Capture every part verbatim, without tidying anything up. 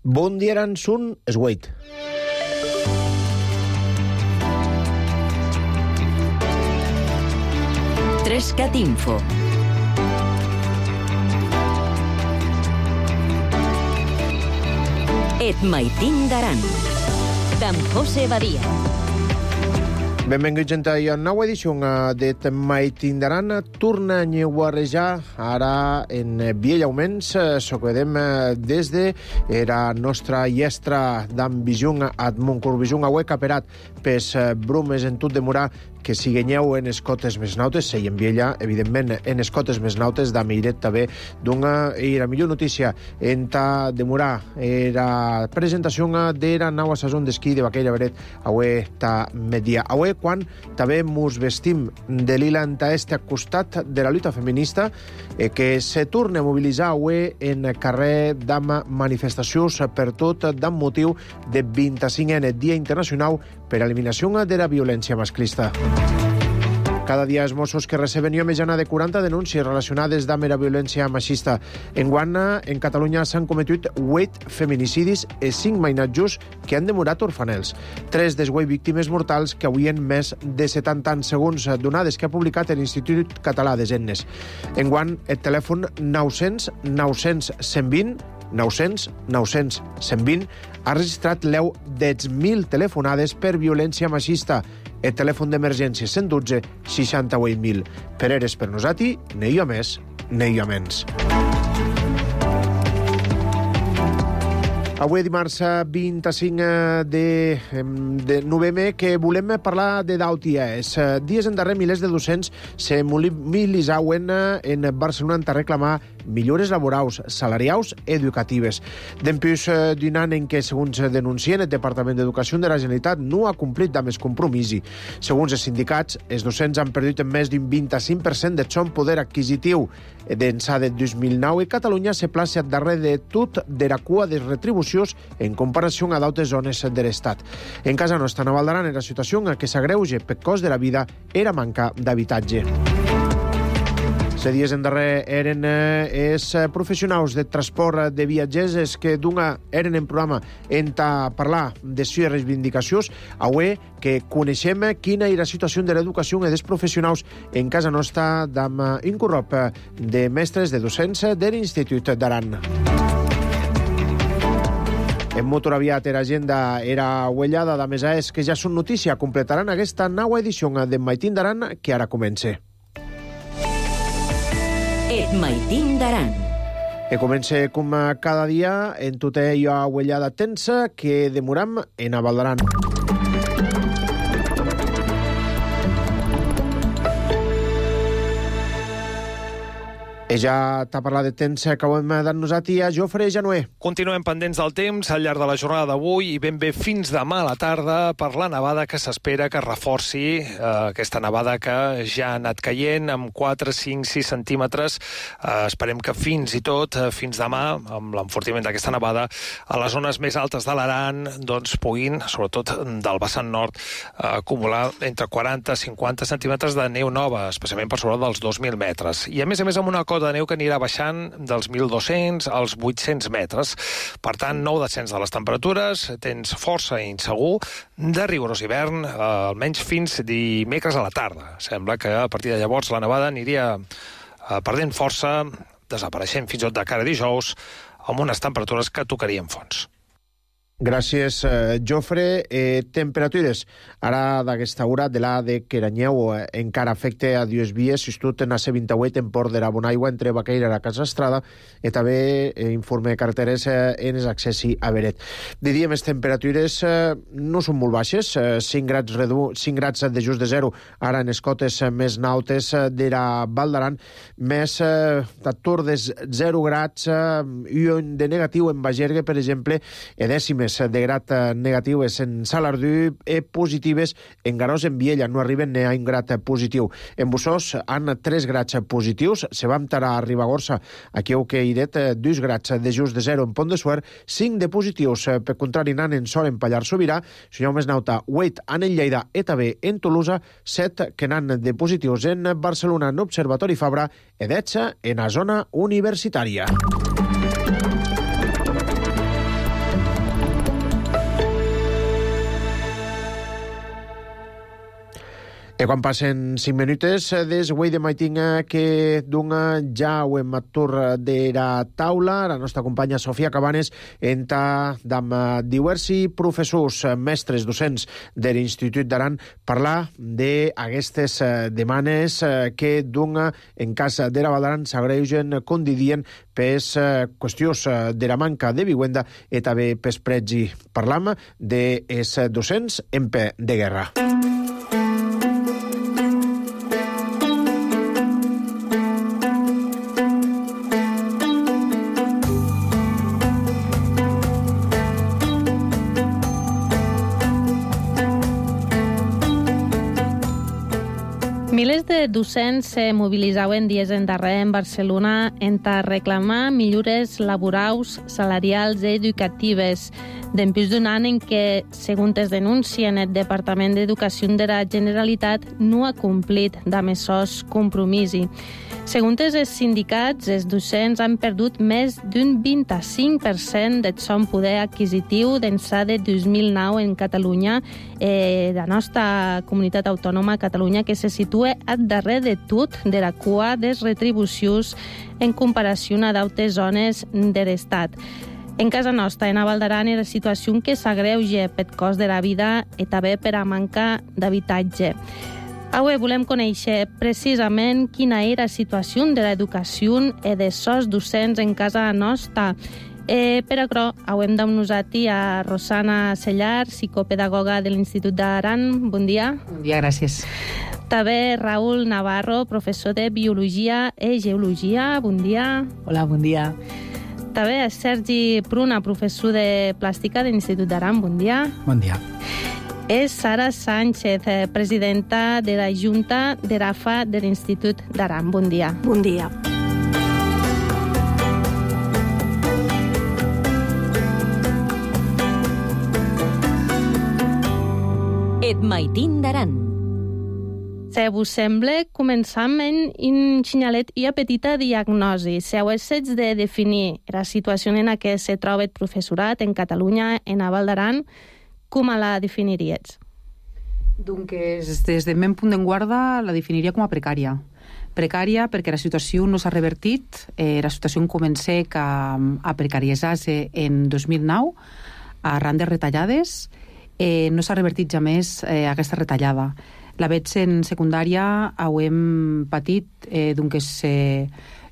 Bon dia, Aran, sun Esgueit. Trescat Info. Et maitin d'Aran, d'en José Badia. Benvinguts a la nova edició d'Et maitin d'Aran. Torna a nyeuarejar ara en Vielllaumens. Soquedem des de la nostra llestra d'Ambijung ad Montcorbijung, avui caperat pes brumes en tot demorar que siguenyeu en escotes més nautes, i en Viella, evidentment, en escotes més nautes, da meiret també d'una i la millor notícia en ta demorar era presentació de la nova saison d'esquí de Baqueira Beret, avui ta media. Avui, quan també mos vestim de lila en ta este costat de la lluita feminista, eh, que se torna a mobilitzar avui en carrer d'ama manifestacions per tot d'am motiu de vint-i-cinquè Dia Internacional per a l'eliminació de la violència masclista. Cada dia els Mossos que receben jo mitjana de quaranta denúncies relacionades amb la violència machista. Enguany, en Catalunya s'han cometut vuit feminicidis i cinc mainatjos que han demorat orfanels. Tres dels vuit víctimes mortals que avui en més de setanta anys, segons donades que ha publicat l'Institut Català de Gennes. Enguany, el telèfon nou-cents nou-cents cent vint nou-cents nou-cents cent vint ha registrat l'eu de mil telefonades per violència machista. El telèfon d'emergència cent dotze seixanta-vuit mil. Per eres per nosati, ne hi ha més, ne hi ha menys. Avui dimarts vint-i-cinc de, de novembre que volem parlar de d'Auties. Dies endarrer milers de docents se mobilitzauen en Barcelona per reclamar millores laborals, salarials i educatives. Dempús d'un any en què, segons denuncien, el Departament d'Educació de la Generalitat no ha complit amb els compromisos. Segons els sindicats, els docents han perdut més d'un vint-i-cinc per cent del seu poder adquisitiu. D'ençà de dos mil nou, Catalunya se plaça darrere de tot de la cua de retribucions en comparació a d'altres zones de l'Estat. En casa nostra, a Val d'Aran, la situació que s'agreuja per cost de la vida era manca d'habitatge. Se dies endarrer eren eh, els professionals de transport de viatgers els que d'una eren en programa en ta parlar de les reivindicacions. Avui que coneixem quina és la situació de l'educació dels professionals en casa nostra d'am incorrop de mestres de docents de l'Institut d'Aran. En motor aviat era agenda era huellada de mesa és que ja són notícia. Completaran aquesta nova edició de Maitin d'Aran que ara comença. Et maitin d'Aran. E comença com cada dia en tota allò huellada tensa que demoram en a Val d'Aran. I ja t'ha parlat de temps que acabem de nosaltres a Jofre Januer. Continuem pendents del temps al llarg de la jornada d'avui i ben bé fins demà a la tarda per la nevada que s'espera que reforci eh, aquesta nevada que ja ha anat caient amb quatre, cinc, sis centímetres. Eh, esperem que fins i tot, eh, fins demà, amb l'enfortiment d'aquesta nevada, a les zones més altes de l'Aran doncs, puguin, sobretot del vessant nord, eh, acumular entre quaranta i cinquanta centímetres de neu nova, especialment per sobre dels dos mil metres. I a més a més amb una cota de neu que anirà baixant dels mil dos-cents als vuit-cents metres. Per tant, nou descens de les temperatures, temps força insegur, de rigorós hivern, eh, almenys fins dimecres a la tarda. Sembla que a partir de llavors la nevada aniria eh, perdent força, desapareixent fins i tot de cara a dijous, amb unes temperatures que tocarien fons. Gràcies, eh, Jofre. Eh, temperatures. Ara, d'aquesta hora, de la de Queranyeu, eh, encara afecta a dues vies, sistut en A C vint-i-vuit en Port de la Bonaigua, entre Baqueira i la Casa Estrada, i també eh, informe de carreteres eh, en els accessi a Beret. De dia, més temperatures eh, no són molt baixes, eh, cinc grads, redu... cinc grads de just de zero, ara en les cotes eh, més nautes eh, de la Val d'Aran, més eh, d'ator de zero grads eh, i de negatiu en Bagergue, per exemple, e dècimes de grat negatives en Salardú i positives en Garós, en Viella, no arriben a un grat positiu. En Bussós han tres grats positius, se va entrar a Ribagorça, aquí heu que iret dos grats de just de zero en Pont de Suert, cinc de positius, per contrari nan en Sol en Pallar Sobirà, senyor més nauta, vuit en Lleida i també en Tolosa, set que nan de positius en Barcelona, en Observatori Fabra, i dotze en la zona universitària. E quan passen cinc minutes des avui de maitinga que dunga ja ho hem atur de la taula, la nostra companya Sofia Cabanes enta d'amb diversi professors, mestres, docents de l'Institut d'Aran parlar d'aquestes demanes que dunga en cas de la Val d'Aran s'agreugen, com didien, pes qüestions de la manca de vivienda i també pes pregi. Parlam dels docents en peu de guerra. Milers de docents se mobilitzaven dies endarrere en Barcelona enta reclamar millores laborals, salarials i educatives dempús d'un any en què, segons es denuncien, el Departament d'Educació de la Generalitat no ha complit amb aquests compromisos. Segons els sindicats, els docents han perdut més d'un vint-i-cinc per cent del seu poder adquisitiu d'ençà de dos mil nou en Catalunya, eh, la nostra comunitat autònoma Catalunya, que se situa al darrere de tot de la cua dels retribucions en comparació a d'altres zones de l'Estat. En casa nostra, en Val d'Aran, la situació que s'agreuja pel cost de la vida i també per a manca d'habitatge. Avui volem conèixer precisament quina era la situació de l'educació i de sos docents en casa nostra. Eh, per això, avui hem amb nosaltres a Rosana Sellar, psicopedagoga de l'Institut d'Aran. Bon dia. Bon dia, gràcies. També Raül Navarro, professor de Biologia i Geologia. Bon dia. Hola, bon dia. També Sergi Pruna, professor de Plàstica de l'Institut d'Aran. Bon dia. Bon dia. És Sara Sánchez, presidenta de la Junta de l'A F A de l'Institut d'Aran. Bon dia. Bon dia. Et maitin d'Aran. Si vos sembla, començam en un xinyalet i a petita diagnosi. Si haguessis de definir la situació en què se troba el professorat en Catalunya, en Val d'Aran, com la definiries? Doncs des del meu punt d'enguarda la definiria com a precària. Precària perquè la situació no s'ha revertit. Eh, la situació comença a, a precaritzar-se en dos mil nou arran de retallades. Eh, no s'ha revertit ja més eh, aquesta retallada. La veig en secundària, ho hem patit eh, doncs, eh,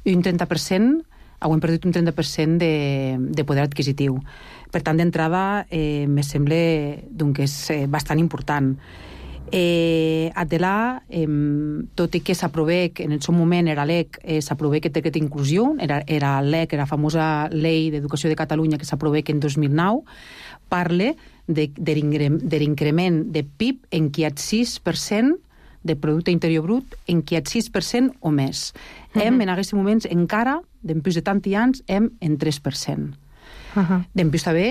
un trenta per cent, ho hem perdut un trenta per cent de, de poder adquisitiu. Per tant, d'entrada, eh, me sembla doncs, és eh, bastant important. Eh, Adelà, eh, tot i que s'aprovec, en el seu moment era l'E C, eh, s'aprovec aquest decret d'inclusió, era, era l'E C, era la famosa Llei d'Educació de Catalunya que s'aprovec en dos mil nou, parla de, de l'increment de P I B en qui hi ha sis per cent de Producte Interior Brut, en qui hi ha sis per cent o més. Uh-huh. Hem, en aquests moments, encara, després de tant anys, hem en tres per cent. Uh-huh. Després també,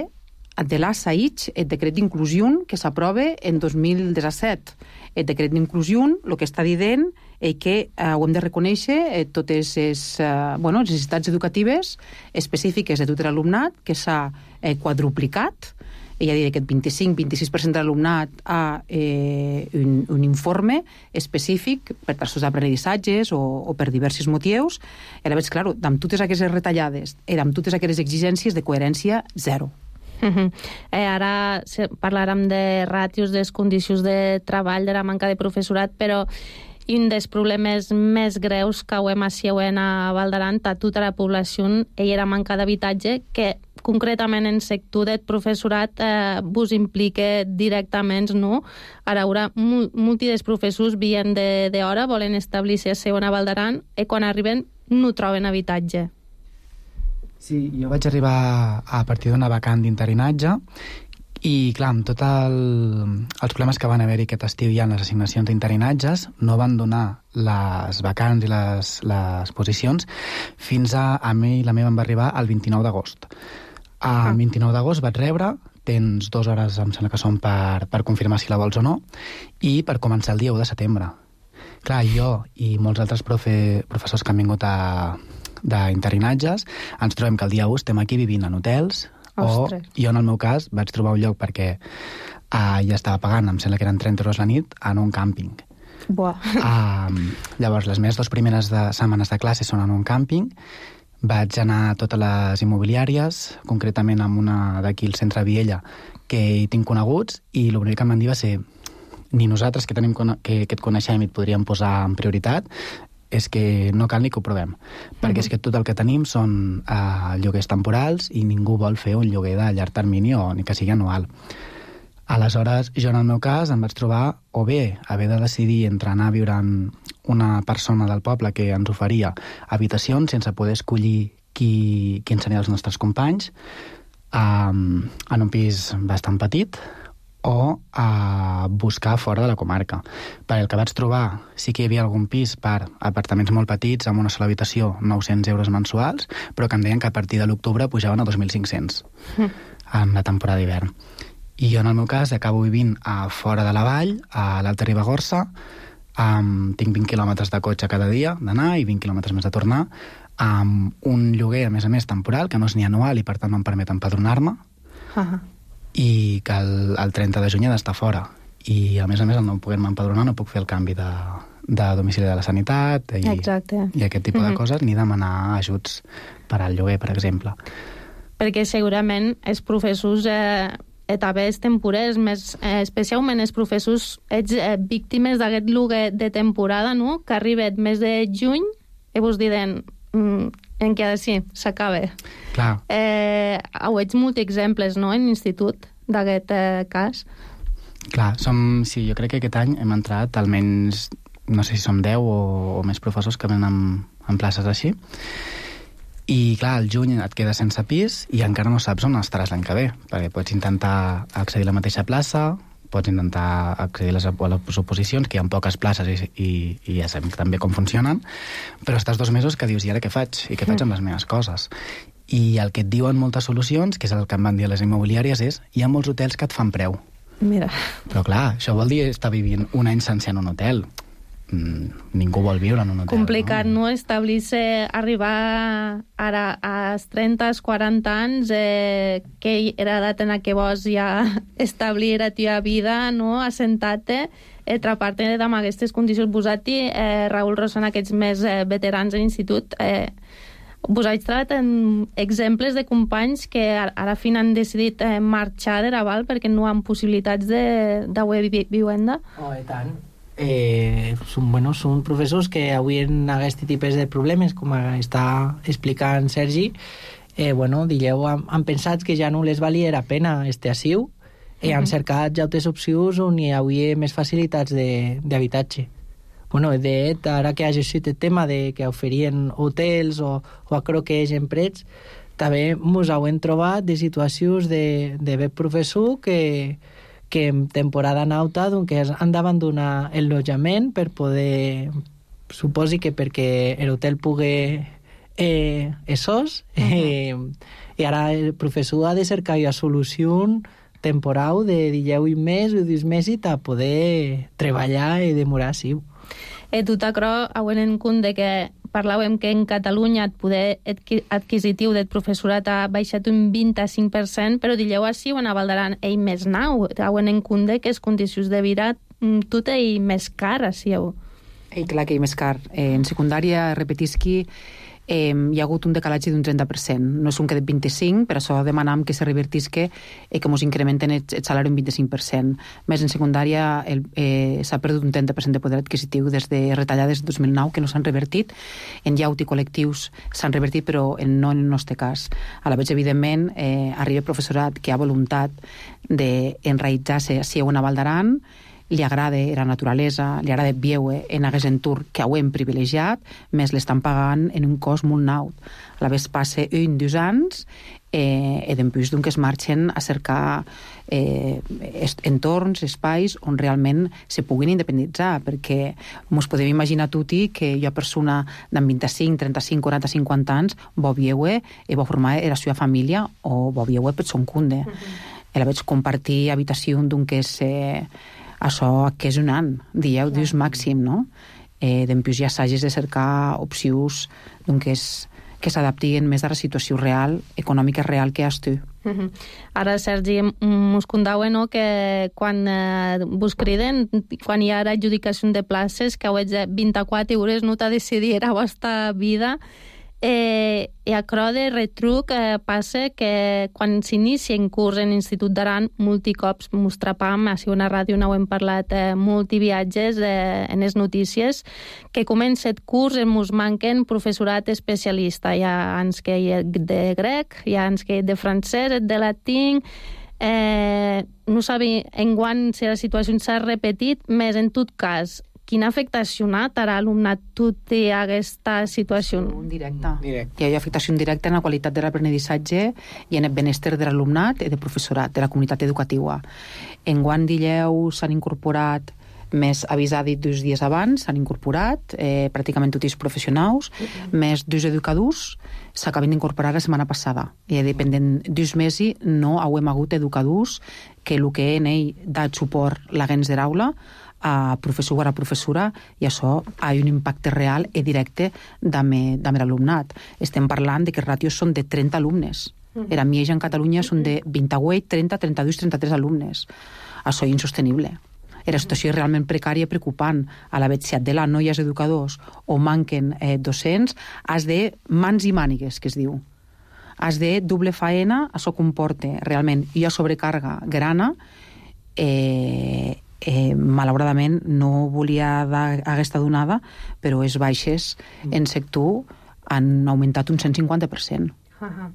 de l'A S A I C, el decret d'inclusió que s'aprova en dos mil disset. El decret d'inclusió, el que està dient és que eh, ho hem de reconèixer eh, totes les eh, bueno, necessitats educatives específiques de tot l'alumnat, que s'ha eh, quadruplicat. Ella diria que el vint-i-cinc a vint-i-sis per cent de l'alumnat ha eh, un, un informe específic per tassos d'aprenentatges o, o per diversos motius. I ara veig, clar, amb totes aquestes retallades i amb totes aquestes exigències de coherència, zero. Uh-huh. Eh, ara parlarem de ràtios, de les condicions de treball, de la manca de professorat, però un dels problemes més greus que ho hem a Val d'Aran a tota la població és la manca d'habitatge, que concretament en el sector del professorat eh, vos implica directament, no? Ara, ara molts dels professors vien d'hora, volen establir-se a Val d'Aran i quan arriben no troben habitatge. Sí, jo vaig arribar a partir d'una vacant d'interinatge i, clar, amb tots el, els problemes que van haver-hi aquest estiu ja en les assignacions d'interinatges, no van donar les vacants i les, les posicions fins a, a mi la meva em va arribar el vint-i-nou d'agost. El vint-i-nou d'agost vaig rebre, tens dues hores, em sembla que són per, per confirmar si la vols o no, i per començar el dia u de setembre. Clar, jo i molts altres profe, professors que han vingut a d'interinatges, ens trobem que el dia u estem aquí vivint en hotels. Ostres. O jo, en el meu cas, vaig trobar un lloc perquè uh, ja estava pagant, em sembla que eren trenta euros la nit, en un càmping. Buah. Um, llavors, les meves dues primeres de, setmanes de classe són en un càmping. Vaig anar a totes les immobiliàries, concretament amb una d'aquí al centre de Viella, que hi tinc coneguts, i l'únic que em van dir va ser ni nosaltres que, tenim, que, que et coneixem i et podríem posar en prioritat, és que no cal ni que ho provem, perquè és que tot el que tenim són uh, lloguers temporals i ningú vol fer un lloguer de llarg termini o ni que sigui anual. Aleshores, jo en el meu cas em vaig trobar o bé haver de decidir entre anar a viure amb una persona del poble que ens oferia habitacions sense poder escollir qui, qui serien els nostres companys, um, en un pis bastant petit, o a buscar fora de la comarca. Per el que vaig trobar, sí que hi havia algun pis per apartaments molt petits, amb una sola habitació, nou-cents euros mensuals, però que em deien que a partir de l'octubre pujaven a dos mil cinc-cents mm. en la temporada d'hivern. I jo, en el meu cas, acabo vivint a fora de la vall, a l'Alta Ribagorça, um, tinc vint quilòmetres de cotxe cada dia d'anar i vint quilòmetres més de tornar, amb un lloguer, a més a més, temporal, que no és ni anual i, per tant, no em permet empadronar-me, uh-huh. i que el, el trenta de juny he d'estar fora. I, a més a més, al no poder-me empadronar, no puc fer el canvi de, de domicili de la sanitat i, i aquest tipus mm-hmm. de coses, ni demanar ajuts per al lloguer, per exemple. Perquè segurament els professors eh, etapes temporers, més, eh, especialment els professors, ets eh, víctimes d'aquest lloguer de temporada, no?, que arriba més de juny i vos diuen mm, en què sí, s'acaba. Clar. Eh, ho ets molts exemples, no?, en l'institut d'aquest eh, cas. Clar, som, sí, jo crec que aquest any hem entrat almenys, no sé si som deu o, o més professors que venen en, en places així. I, clar, al juny et quedes sense pis i encara no saps on estaràs l'any que ve, perquè pots intentar accedir a la mateixa plaça, pots intentar accedir a les, a les oposicions, que hi ha poques places i, i, i ja sabem també com funcionen, però estàs dos mesos que dius, i ara què faig? I què faig amb les meves coses? I el que et diuen moltes solucions, que és el que em van dir a les immobiliàries, és hi ha molts hotels que et fan preu. Mira. Però clar, això vol dir estar vivint un any sencer en un hotel. Mm, ningú vol viure en un hotel. Complicat, no? no? Establir-se, arribar ara als trenta, quaranta anys, eh, que era edat en què vols ja establir la teva vida, no? Assentar-te, atrapar-te amb aquestes condicions. Vosaltres, eh, Raül Rosana, aquests més eh, veterans a l'institut, eh, vos haig trobat en exemples de companys que ara fin han decidit eh, marxar de Raval perquè no han possibilitats de, de vi vivenda? Oh, i tant. Eh, són, bueno, són professors que avui en aquest tipus de problemes, com està explicant Sergi, eh, bueno, digueu, han, han pensat que ja no les valia la pena este assiu i han cercat ja altres opcions on hi havia més facilitats d'habitatge. Bueno, de fet, ara que ha existit el tema de que oferien hotels o, o a croquers en prets, també ens hem trobat de situacions de, de bé professor que que en temporada nauta doncs, han d'abandonar el lotjament per poder, suposi que perquè l'hotel pugui eh, essos, eh, i ara el professor ha de cercar una solució temporal de deu mes o deu mesos a poder treballar i demorar així. E tu t'acro, avui en compte que parlàvem que en Catalunya el poder adquisitiu del professorat ha baixat un vint-i-cinc per cent, però digueu així on a Valdaran ell més nau, avui en compte que les condicions de vida tot ell més car, així. Ell, clar que ell més car. Eh, en secundària, repetisqui, eh, hi ha hagut un decalatge d'un trenta per cent. No és un que de vint-i-cinc, per això demanam que se revertisque i que ens incrementen el, el salari un vint-i-cinc per cent. Més en secundària eh, s'ha perdut un trenta per cent de poder adquisitiu des de retallades de dos mil nou que no s'han revertit. En llaut i col·lectius s'han revertit, però en, no en el nostre cas. A la vegada, evidentment, eh, arriba professorat que ha voluntat d'enraïtzar-se si a una Valdaran, li agrada la naturalesa, li agrada viure en aquest entorn que ho hem privilegiat, més l'estan pagant en un cost molt naut. A la vegada passa un, dos anys, eh, i després doncs es marxen a cercar eh, entorns, espais on realment se puguin independitzar, perquè ens podem imaginar tutti que hi ha persona d'en vint-i-cinc, trenta-cinc, quaranta, cinquanta anys vol viure i vol formar la seva família o vol viure per son compte. Mm-hmm. I a la vegada compartir habitació d'un que és... Eh, això que és un any, dieu, dius màxim, no? Eh, Dempuix ja s'hagis de cercar opcions doncs, que s'adaptin més a la situació real, econòmica real que has tu. Uh-huh. Ara, Sergi, mos contava, no, que quan eh, vos criden, quan hi ha adjudicació de places, que heu de vint-i-quatre hores no t'ha decidir la vostra vida, eh, i a cro de retruc eh, passa que quan s'inicia en curs en l'Institut d'Aran, multicops mos trapam, així una ràdio no ho hem parlat, eh, multiviatges eh, en les notícies, que comença el curs i mos manquen professorat especialista. Hi ha ens que hi ha de grec, hi ha ens que hi ha de francès, de latín. Eh, no sabem enguany si la situació s'ha repetit, més en tot cas, quina afectació a l'alumnat tot i aquesta situació? Directa. Directe. Hi ha afectació directa en la qualitat de l'aprenedissatge i en el benestar de l'alumnat i del professorat, de la comunitat educativa. Enguany d'Illeu s'han incorporat més avisat dos dies abans, s'han incorporat eh, pràcticament tots els professionals, mm-hmm. més dos educadors s'acaben d'incorporar la setmana passada. I dependent dos mesos no hem hagut educadors que el que en ell da suport l'agents de l'aula a professor o a professora, i això ha un impacte real i directe amb l'alumnat. Estem parlant de que els ràtios són de trenta alumnes. Era Mieja en Catalunya són de vint-i-vuit, trenta, trenta-dos, trenta-tres alumnes. Això és insostenible. La situació és realment precària i preocupant. A la vegada de la no hi ha educadors o manquen eh, docents, has de mans i mànigues, que es diu. Has de doble faena, això comporta realment hi ha sobrecàrrega grana. eh, Eh, malauradament no volia dar aquesta donada, però les baixes mm. en sector han augmentat un cent cinquanta per cent. Uh-huh.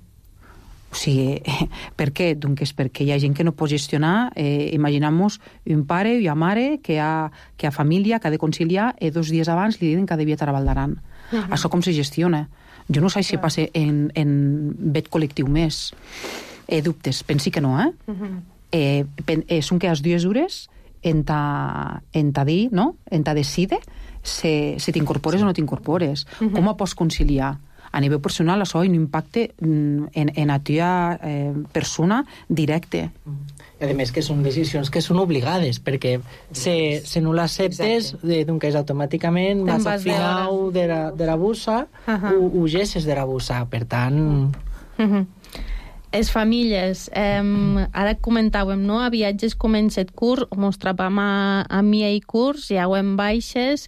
O sigui, eh, per què? Doncs és perquè hi ha gent que no pot gestionar. Eh, Imaginem-nos un pare i una mare que ha, que ha família, que ha de conciliar, i dos dies abans li diuen que ha de viatjar a Valdaran. Uh-huh. Això com se gestiona? Jo no sé si uh-huh. passa en, en vet col·lectiu més. Eh, dubtes, pensi que no, eh? Uh-huh. eh, pen, eh són que les dues hores en ta, en ta dir, no? En ta decide si, si t'incorpores sí. o no t'incorpores. Uh-huh. Com ho pots conciliar? A nivell personal, això ha un impacte en, en la teva eh, persona directe. I a més que són decisions que són obligades, perquè si, si no l'acceptes, doncs automàticament vas al final de la, de la bussa, uh-huh. ho, ho gesses de la bussa. Per tant... Uh-huh. Les famílies, eh, ara comentàvem, no? A viatges comença el curs, mos trapam a, a mi i curs, hi hauen baixes,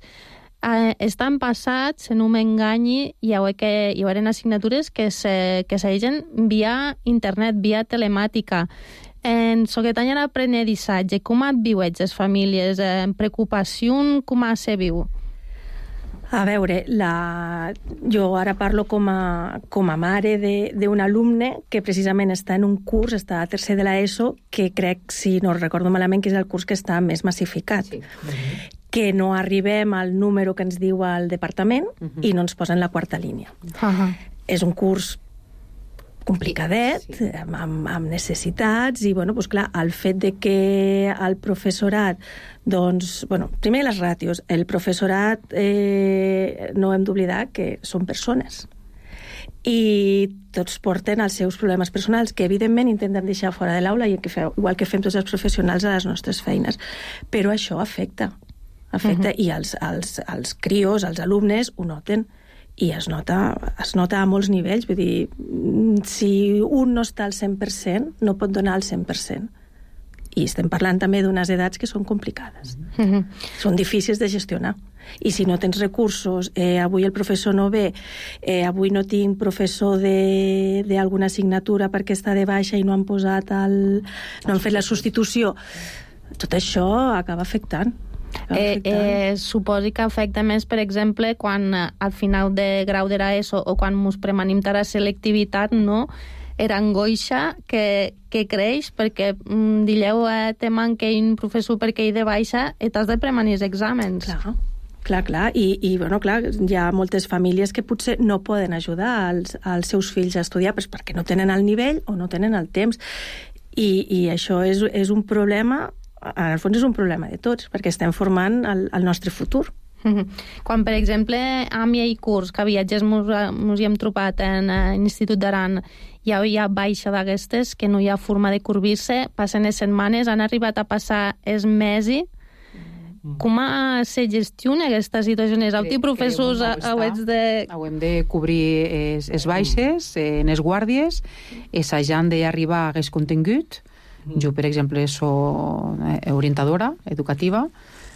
eh, estan passats, si no m'enganyi, hi ha que hi haurà assignatures que se, que segueixen via internet, via telemàtica. En soquetany l'aprenedissatge, com et viuets les famílies? En preocupació, com se viu? A veure, la... jo ara parlo com a, com a mare d'un alumne que precisament està en un curs, està a tercer de l'ESO, que crec, si no recordo malament, que és el curs que està més massificat. Sí. Uh-huh. Que no arribem al número que ens diu el departament uh-huh. i no ens posen la quarta línia. Uh-huh. És un curs complicadet, sí. amb, amb necessitats, i, bueno, doncs, clar, el fet de que el professorat, doncs, bueno, primer les ràtios, el professorat eh, no hem d'oblidar que són persones i tots porten els seus problemes personals, que evidentment intenten deixar fora de l'aula, i que feu, igual que fem tots els professionals a les nostres feines, però això afecta, afecta uh-huh. i els, els, els crios, els alumnes ho noten, i es nota, es nota a molts nivells. Vull dir, si un no està al cent per cent, no pot donar el cent per cent. I estem parlant també d'unes edats que són complicades. Mm-hmm. Són difícils de gestionar. I si no tens recursos, eh, avui el professor no ve, eh, avui no tinc professor d'alguna assignatura perquè està de baixa i no han posat el... no han fet la substitució, tot això acaba afectant. Eh, eh, suposi que afecta més, per exemple, quan eh, al final de grau de l'ESO o quan ens premanim a la selectivitat, no? Era angoixa que, que creix perquè mm, dilleu eh, te manca un professor perquè hi de baixa i t'has de premanir els exàmens. Clar, clar, clar. I, i bueno, clar, hi ha moltes famílies que potser no poden ajudar als, als seus fills a estudiar pues, perquè no tenen el nivell o no tenen el temps. I, i això és, és un problema... En el fons és un problema de tots, perquè estem formant el, el nostre futur. Quan, per exemple, a mi i curs, que viatges mos, mos hi hem trobat en l'Institut d'Aran, hi ha, hi ha baixa d'aquestes, que no hi ha forma de corbir-se, passen les setmanes, han arribat a passar els mesos, com se gestiona aquesta situació? Els altres professors hauets de... Hauem de cobrir les, les baixes, en les guàrdies, assajant d'arribar a aquest contingut. Jo, per exemple, soc orientadora educativa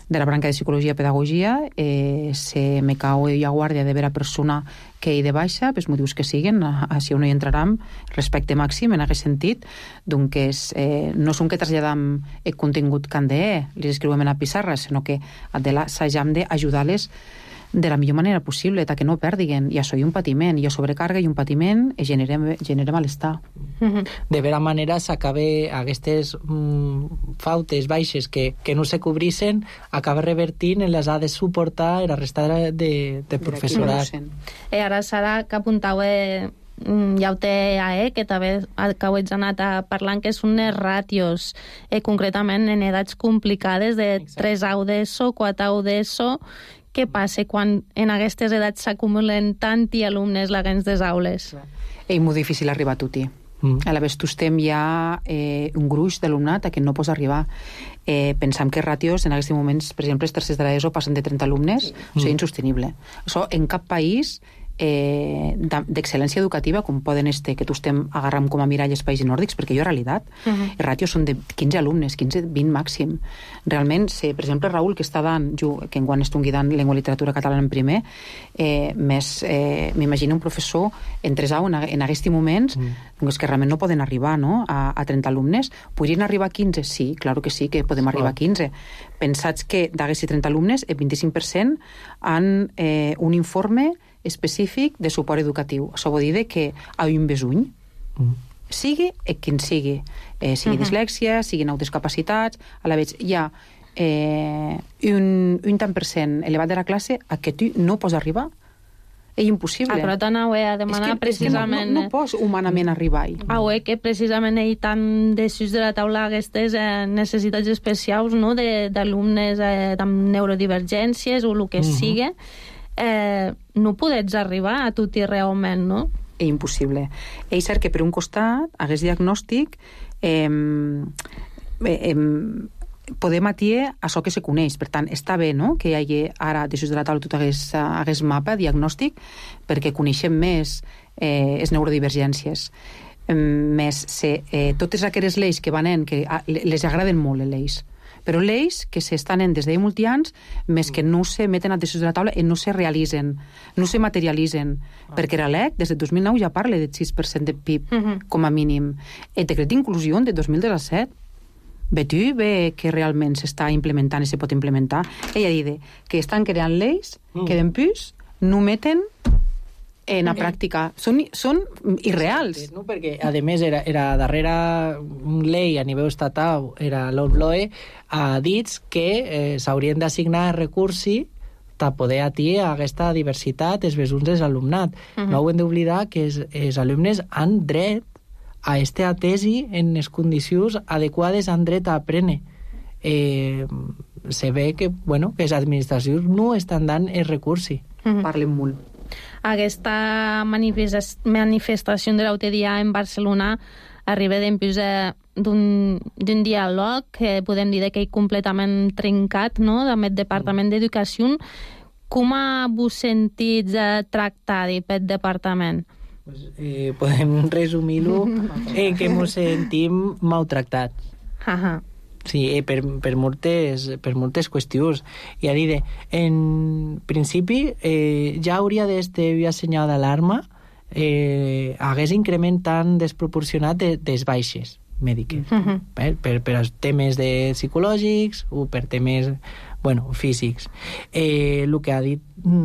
de la branca de psicologia i pedagogia, eh, se me cau a guàrdia de vera persona que hi de baixa, pels motius que siguen, així on hi entrarem, respecte màxim en aquest sentit, doncs eh, no són que traslladam el contingut que han de, les escriuem en la pissarra, sinó que assajam d'ajudar-les de la millor manera possible, que no perdiguen. I això hi ha un patiment, hi ha sobrecàrrega i un patiment i genera, genera malestar. Mm-hmm. De vera manera s'acaba aquestes mm, fautes baixes que, que no se cobrissen, acaba revertint en les ha de suportar la resta de, de, de professorat. I ara, Sara, que apuntau eh, ja ho té a E, que també que ho ets anat a parlant, que són les ràtios, eh, concretament en edats complicades de tres anys d'ESO, quatre anys d'ESO. Què passa quan en aquestes edats s'acumulen tanti alumnes laguens des aules? És molt difícil arribar a tutti. Mm. A la vegada estem hi ha eh, un gruix d'alumnat a què no pots arribar. Eh, pensam que ràtios en aquests moments, per exemple, els tercers de l'ESO passen de trenta alumnes, mm. això és insostenible. Això en cap país eh, d'excel·lència educativa, com poden este, que tu estem agarrant com a mirall els països nòrdics, perquè jo, en realitat, uh -huh. els ràtios són de quinze alumnes, quinze, vint màxim. Realment, si, per exemple, Raül, que està dant, jo, que enguany estic dant llengua i literatura catalana en primer, eh, més, eh, m'imagino un professor en tres anys, en, en aquests moments, uh -huh. doncs que realment no poden arribar, no?, a, a trenta alumnes. Podrien arribar a quinze? Sí, claro que sí, que podem arribar a quinze. Pensats que d'aquests trenta alumnes, el vint-i-cinc per cent han eh, un informe específic de suport educatiu. Això vol dir que hi ha un besuny, mm. sigui quin sigui, eh, sigui uh-huh. dislèxia, siguin altres capacitats, a la vegada hi ha eh, un, un tant per cent elevat de la classe a què tu no pots arribar. És impossible. Ah, però t'anau a demanar que, precisament... No, no, no pots humanament arribar-hi. Ah, eh, que precisament ell tan desús de la taula aquestes eh, necessitats especials, no?, d'alumnes eh, amb neurodivergències o el que uh-huh. sigui, eh, no podets arribar a tot i realment, no? És impossible. És cert que per un costat, aquest diagnòstic eh, eh, podem atiar això que se coneix. Per tant, està bé, no?, que hi hagi ara, després de la taula, tot aquest, aquest mapa diagnòstic, perquè coneixem més eh, les neurodivergències. Eh, més se, eh, totes aquelles lleis que van en, que a, les agraden molt, les lleis, però lleis que s'estan en des de molts anys, més que no se meten a decisions de la taula i no se realitzen, no se materialitzen, ah. perquè la L E C des de dos mil nou ja parla del sis per cent de P I B uh-huh. com a mínim. El decret d'inclusió de dos mil disset, ve tu, ve que realment s'està implementant i se pot implementar. Ella diu que estan creant lleis mm. que d'empús no meten en la pràctica. Són, són irreals. No? Perquè, a més, era, era darrere llei a nivell estatal, era l'O B L O E, ha dit que eh, s'haurien d'assignar recursos per poder atiar aquesta diversitat dels besuns dels alumnat. Uh-huh. No ho hem d'oblidar que els, els alumnes han dret a este atesi en les condicions adequades, han dret a aprendre. Eh, se ve que, bueno, que les administracions no estan dant els recursos. Uh-huh. Parlen molt. Aquesta manifestació de l'altre dia en Barcelona arriba dins d'un diàleg que podem dir que és completament trencat, no?, amb el Departament d'Educació. Com vos sentits tractats pel departament? Pues, eh, podem resumir-ho en que ens sentim maltractats. Ajá. Sí, eh, per, per, moltes, per moltes qüestions. I a dir, en principi, eh, ja hauria d'estar senyal d'alarma eh, hagués increment tan desproporcionat de, des baixes mèdiques. Uh-huh. per, per, per als temes de psicològics o per temes bueno, físics. Eh, el que ha dit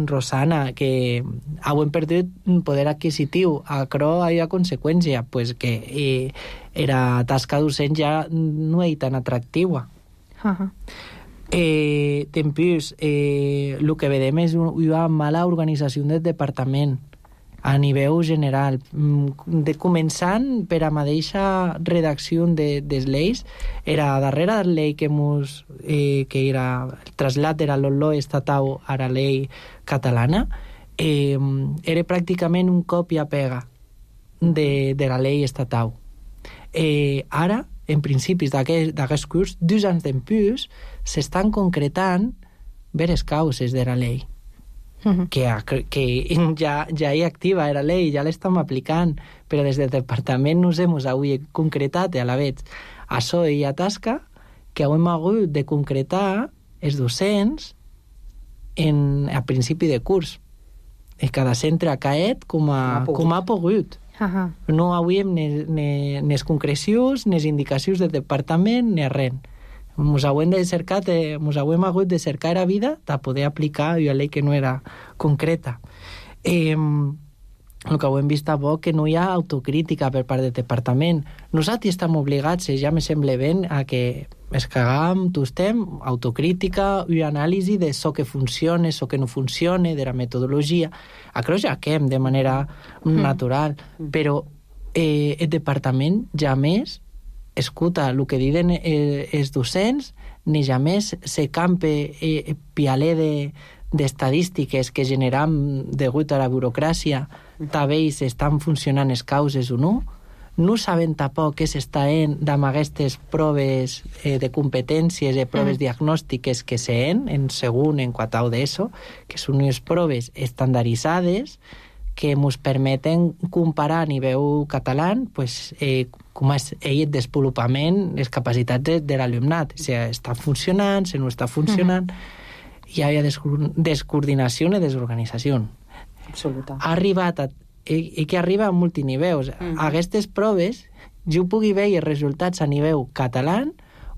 Rosana, que hem perdut poder adquisitiu. Això hi ha conseqüència, pues que eh, era tasca docent ja no és tan atractiva. Uh-huh. Eh, Tempus, eh, el que vedem és una mala organització del departament a nivell general, de començant per a mateixa redacció de, des lleis. Era darrere de la llei que, mos, eh, que era el trasllat de la L O E estatal a la llei catalana, eh, era pràcticament un copia-pega de, de la llei estatal. Eh, ara en principis d'aquest curs, dos anys d'empús, s'estan concretant veres causes de la llei. Uh-huh. que, que ja, ja hi activa era llei, ja l'estem aplicant, però des del departament nos hem avui concretat a la vegada això i a tasca que hem hagut de concretar els docents en, a principi de curs. I cada centre ha caet com ha, com ha pogut. Uh-huh. No hauríem nes concrecions, nes indicacions del departament, ni res. Mos hauem de cercar, de, mos hauem hagut de cercar a vida de poder aplicar una llei que no era concreta. Eh, el que ho hem vist a bo que no hi ha autocrítica per part del departament. Nosaltres estem obligats, ja me sembla ben, a que es cagam, tostem, autocrítica i anàlisi de so que funciona, so que no funciona, de la metodologia. A creu ja quem de manera mm. natural, però eh, el departament ja més escuta el que diuen eh, els docents, ni ja més se campe eh, pialé de, d'estadístiques que generam degut a la burocràcia també si estan funcionant les causes o no. No saben tampoc què s'està en amb aquestes proves eh, de competències i proves mm. diagnòstiques que s'en en segon, en quatau d'ESO, que són unes proves estandarditzades que ens permeten comparar a nivell català pues, eh, com és el desenvolupament, les capacitats de, de l'alumnat, si està funcionant, si no està funcionant. Mm-hmm. Hi ha descoordinació i desorganització. Absoluta. Ha arribat a, i, i que arriba a multiniveus. Mm-hmm. Aquestes proves jo pugui veure els resultats a nivell català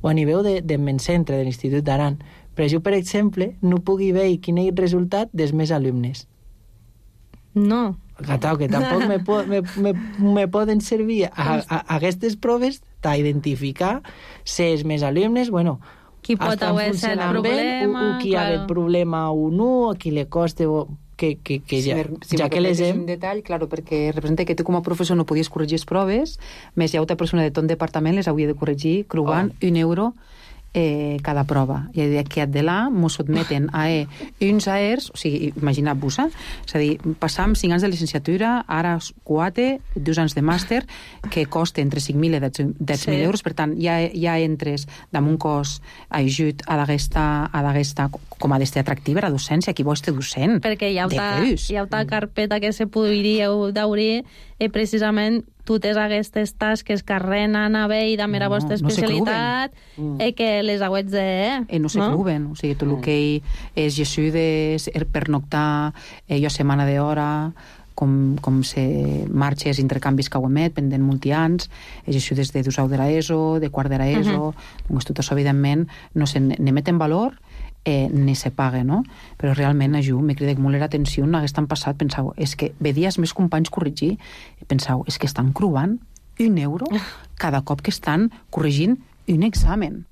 o a nivell de, de men centre de l'Institut d'Aran. Però jo, per exemple, no pugui veure quin és el resultat dels meus alumnes. No. Catau, que tampoc me, po me, me, me poden servir a, a, a aquestes proves d'identificar si els meus alumnes, bueno, qui pot haver estat el problema, o, o qui claro. ha el problema o no, a qui li costa o que, que, que ja, si, si ja que les hem... un detall, claro, perquè representa que tu com a professor no podies corregir les proves, més hi ha altra persona de tot departament les hauria de corregir, creuant oh. un euro eh, cada prova. I d'aquí de là mos sotmeten a eh, uns aers, o sigui, imagina't-vos, eh? És a dir, passam cinc anys de licenciatura, ara quatre, dos anys de màster, que costa entre cinc mil i deu mil sí. euros, per tant, ja, ja entres damunt cos ajut a d'aquesta, com a d'este atractiva, la docència, qui vol este docent. Perquè hi ha una carpeta que se podria d'obrir i precisament totes aquestes tasques que renen a bé i de mera no, vostra especialitat no mm. que les hauets de... Eh, no se no? cluben, o sigui, tot el que és jesudes, pernoctar, eh, jo setmana d'hora, com, com se marxes intercanvis que ho emet, pendent multians, jesudes de dusau de l'ESO, de quart de l'ESO, uh -huh. doncs tot això, evidentment, no se n'emet en valor, Eh, ni se paga, no? Però realment a jo m'he cridat molt l'atenció en aquest any passat, pensau, és que vedies més companys corregir, pensau, és que estan creuant un euro cada cop que estan corregint un examen.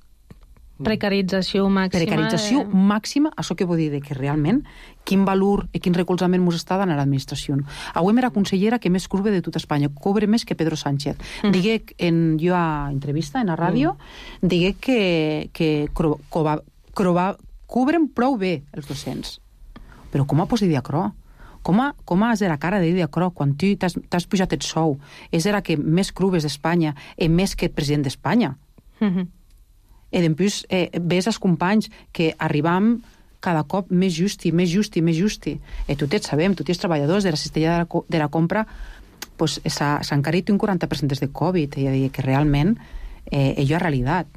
Precarització màxima. Precarització eh... màxima, això que vol dir que realment quin valor i quin recolzament mos està donant a l'administració. Avui era consellera que més curve de tota Espanya, cobre més que Pedro Sánchez. Mm. Digué, en, jo a entrevista en la ràdio, mm. digué que, que cro, cova, crova, cobren prou bé els docents. Però com ha posat diacrò? Com ha, com has de la cara de diacrò quan tu t'has pujat el sou? És era que més curves d'Espanya i més que el president d'Espanya. Mm-hmm. I després eh, ves els companys que arribam cada cop més justi, més justi, més justi. I tots sabem, tots els treballadors de la cistella de la, de la compra pues, s'ha encarit un quaranta per cent des de Covid. I ja dic que realment eh, allò és realitat.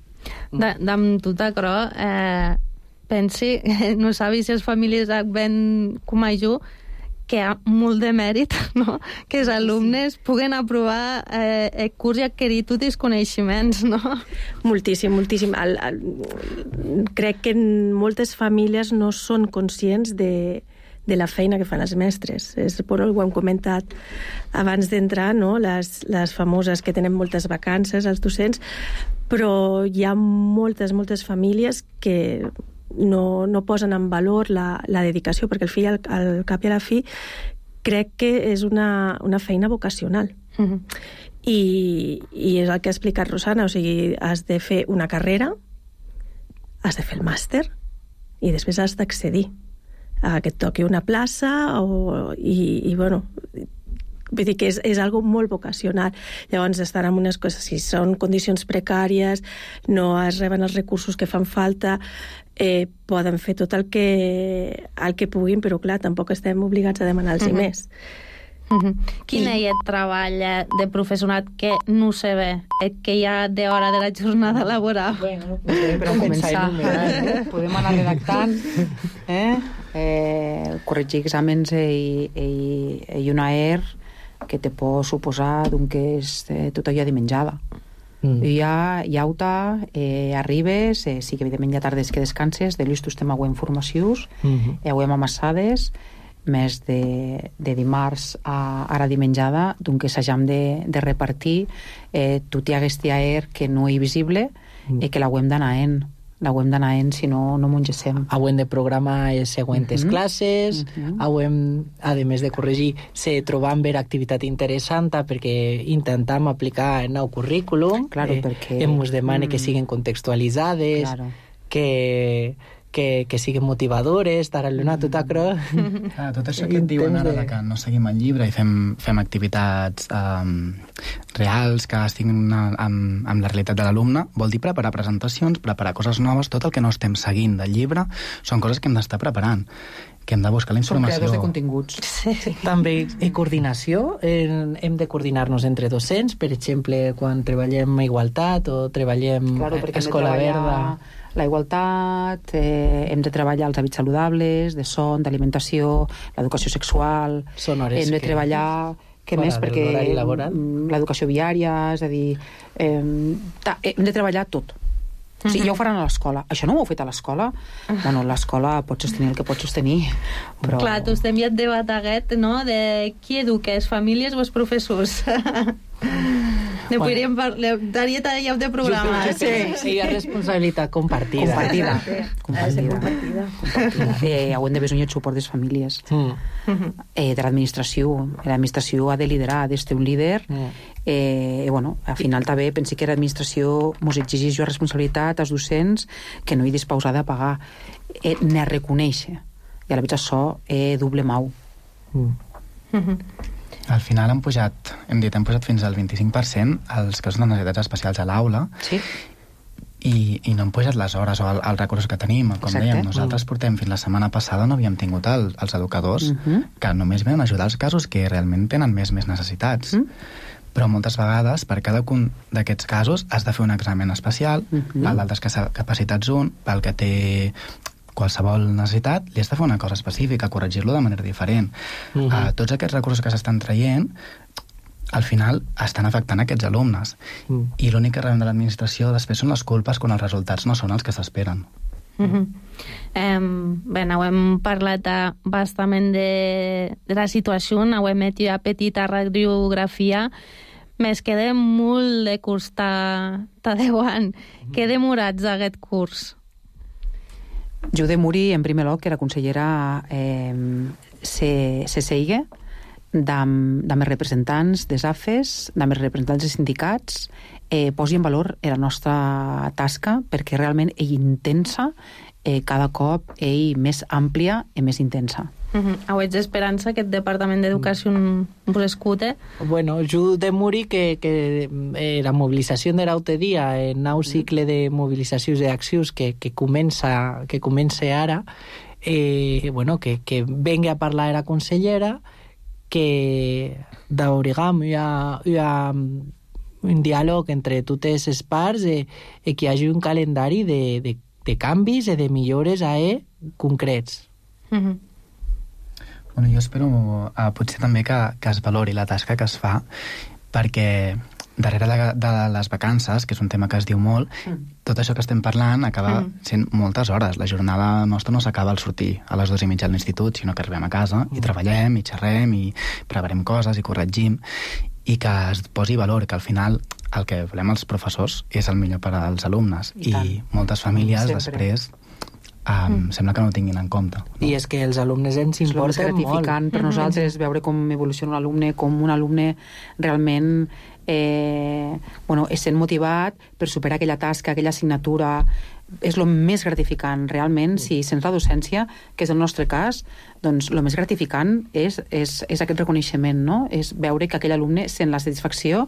Amb tot això, eh, pensi, no sabi si les famílies ven com a jo, que hi ha molt de mèrit, no? Que els alumnes puguen aprovar eh, el curs i adquirir tots els coneixements, no? Moltíssim, moltíssim. El, el, crec que moltes famílies no són conscients de, de la feina que fan els mestres. És, bueno, ho hem comentat abans d'entrar, no? Les, les famoses que tenen moltes vacances, els docents, però hi ha moltes, moltes famílies que no, no posen en valor la, la dedicació, perquè el fill al, al cap i a la fi crec que és una, una feina vocacional. Uh-huh. I, i és el que ha explicat Rosana, o sigui, has de fer una carrera, has de fer el màster i després has d'accedir a que et toqui una plaça o, i, i bueno, vull dir que és, és algo molt vocacional. Llavors, estar en unes coses, si són condicions precàries, no es reben els recursos que fan falta, eh, poden fer tot el que, el que puguin, però clar, tampoc estem obligats a demanar-los mm-hmm. més. Mm-hmm. Quin I... és el treball de professorat que no se ve, que hi ha d'hora de la jornada laboral? Bueno, podem però començar, eh? Podem anar redactant, eh? Eh, corregir exàmens i, i, i una E R que te pot suposar d'un que és eh, tot allò de menjada. Mm. I ja, ja auta, eh, arribes, eh, sí que evidentment hi ha tardes que descanses, de l'ús estem auent formacions, mm-hmm. eh, auem amassades, més de, de dimarts a ara dimenjada, d'un que s'hagam de, de repartir, eh, tot hi hagués E R que no hi visible, mm. eh, que l'auem d'anar en. L'auem d'anar en, si no, no mongessem. Auem de programar les següents uh-huh. classes, uh-huh. auem, a més de corregir, se trobam ver activitat interessant perquè intentam aplicar el nou currículum, claro, eh, perquè... em us demane mm. que siguen contextualitzades, claro. que... Que, que siguin motivadores, d'ara-l'una tot acro... Ah, tot això que et diuen ara de que no seguim el llibre i fem, fem activitats um, reals que estiguin amb, amb la realitat de l'alumne, vol dir preparar presentacions, preparar coses noves, tot el que no estem seguint del llibre són coses que hem d'estar preparant, que hem de buscar la informació. Són creadors de continguts. Sí. També i coordinació, hem de coordinar-nos entre docents, per exemple, quan treballem a Igualtat o treballem claro, a Escola Verda... La igualtat, eh, hem de treballar els hàbits saludables, de son, d'alimentació, l'educació sexual... Són hores hem de treballar... Què més? Perquè l'educació viària, és a dir... Eh, ta, hem de treballar tot. O sigui, ja ho faran a l'escola. Això no ho heu fet a l'escola? Bueno, l'escola pot sostenir el que pot sostenir, però... Clar, tu estem ja et debat aquest, no?, de qui educa, les famílies o els professors? Ne podríem parlar... Daria talleu de programa. Sí, sí, hi ha responsabilitat compartida. Compartida. Compartida. Compartida. Compartida. Eh, ho hem de besonir el suport de les famílies. Mm. Eh, de l'administració. L'administració ha de liderar, ha d'estar un líder. Mm. Eh, bueno, al final també pensi que l'administració mos exigeix jo responsabilitat als docents que no hi disposada a pagar. Eh, ne reconèixer. I a la vegada això eh, doble mau. Mm. Mm-hmm. Al final hem pujat, hem dit, hem pujat fins al vint-i-cinc per cent els casos de necessitats especials a l'aula, sí. i, i no hem pujat les hores o el, el recurs que tenim. Com Exacte. dèiem, nosaltres mm. portem fins la setmana passada no havíem tingut el, els educadors mm-hmm. que només venen a ajudar els casos que realment tenen més més necessitats. Mm. Però moltes vegades, per cada un d'aquests casos, has de fer un examen especial, mm-hmm. pel d'altres capacitats un, pel que té qualsevol necessitat, li has de fer una cosa específica, corregir-lo de manera diferent. Uh-huh. Uh, tots aquests recursos que s'estan traient, al final estan afectant aquests alumnes. Uh-huh. I l'únic que rebem de l'administració després són les culpes quan els resultats no són els que s'esperen. Uh-huh. Um, bé, ho hem parlat bastament de, de la situació, ho hem fet una petita radiografia. Més queda molt de curs t'adeuant. Uh-huh. Què demorats aquest curs? Jo de Muri, en primer lloc, que era consellera, eh, se, se seiga d'am, d'am els representants des A F E S, d'am els representants dels sindicats, eh, posi en valor la nostra tasca, perquè realment és intensa, eh, cada cop és més àmplia i més intensa. Uh-huh. Auets d'esperança que el Departament d'Educació vos escute? Bueno, jo de Muri que, que eh, la mobilització de l'altre dia, el nou cicle de mobilitzacions i accions que, que, comença, que comença ara, eh, bueno, que, que vengui a parlar la consellera, que d'origam hi ha, hi ha un diàleg entre totes les parts i, i que hi hagi un calendari de, de, de canvis i de millores a e concrets. Uh-huh. Bueno, jo espero uh, potser també que, que es valori la tasca que es fa, perquè darrere de, de les vacances, que és un tema que es diu molt, mm. tot això que estem parlant acaba mm. sent moltes hores. La jornada nostra no s'acaba al sortir a les dues i mitja a l'institut, sinó que arribem a casa mm. i treballem, i xerrem, i preparem coses, i corregim, i que es posi valor, que al final el que volem els professors és el millor per als alumnes. I, I moltes famílies Sempre. després Um, mm. sembla que no ho tinguin en compte. No? I és que els alumnes ens importen molt. És gratificant per nosaltres veure com evoluciona un alumne, com un alumne realment eh, bueno, essent motivat per superar aquella tasca, aquella assignatura. És el més gratificant, realment, si sents la docència, que és el nostre cas, doncs el més gratificant és, és, és aquest reconeixement, no? És veure que aquell alumne sent la satisfacció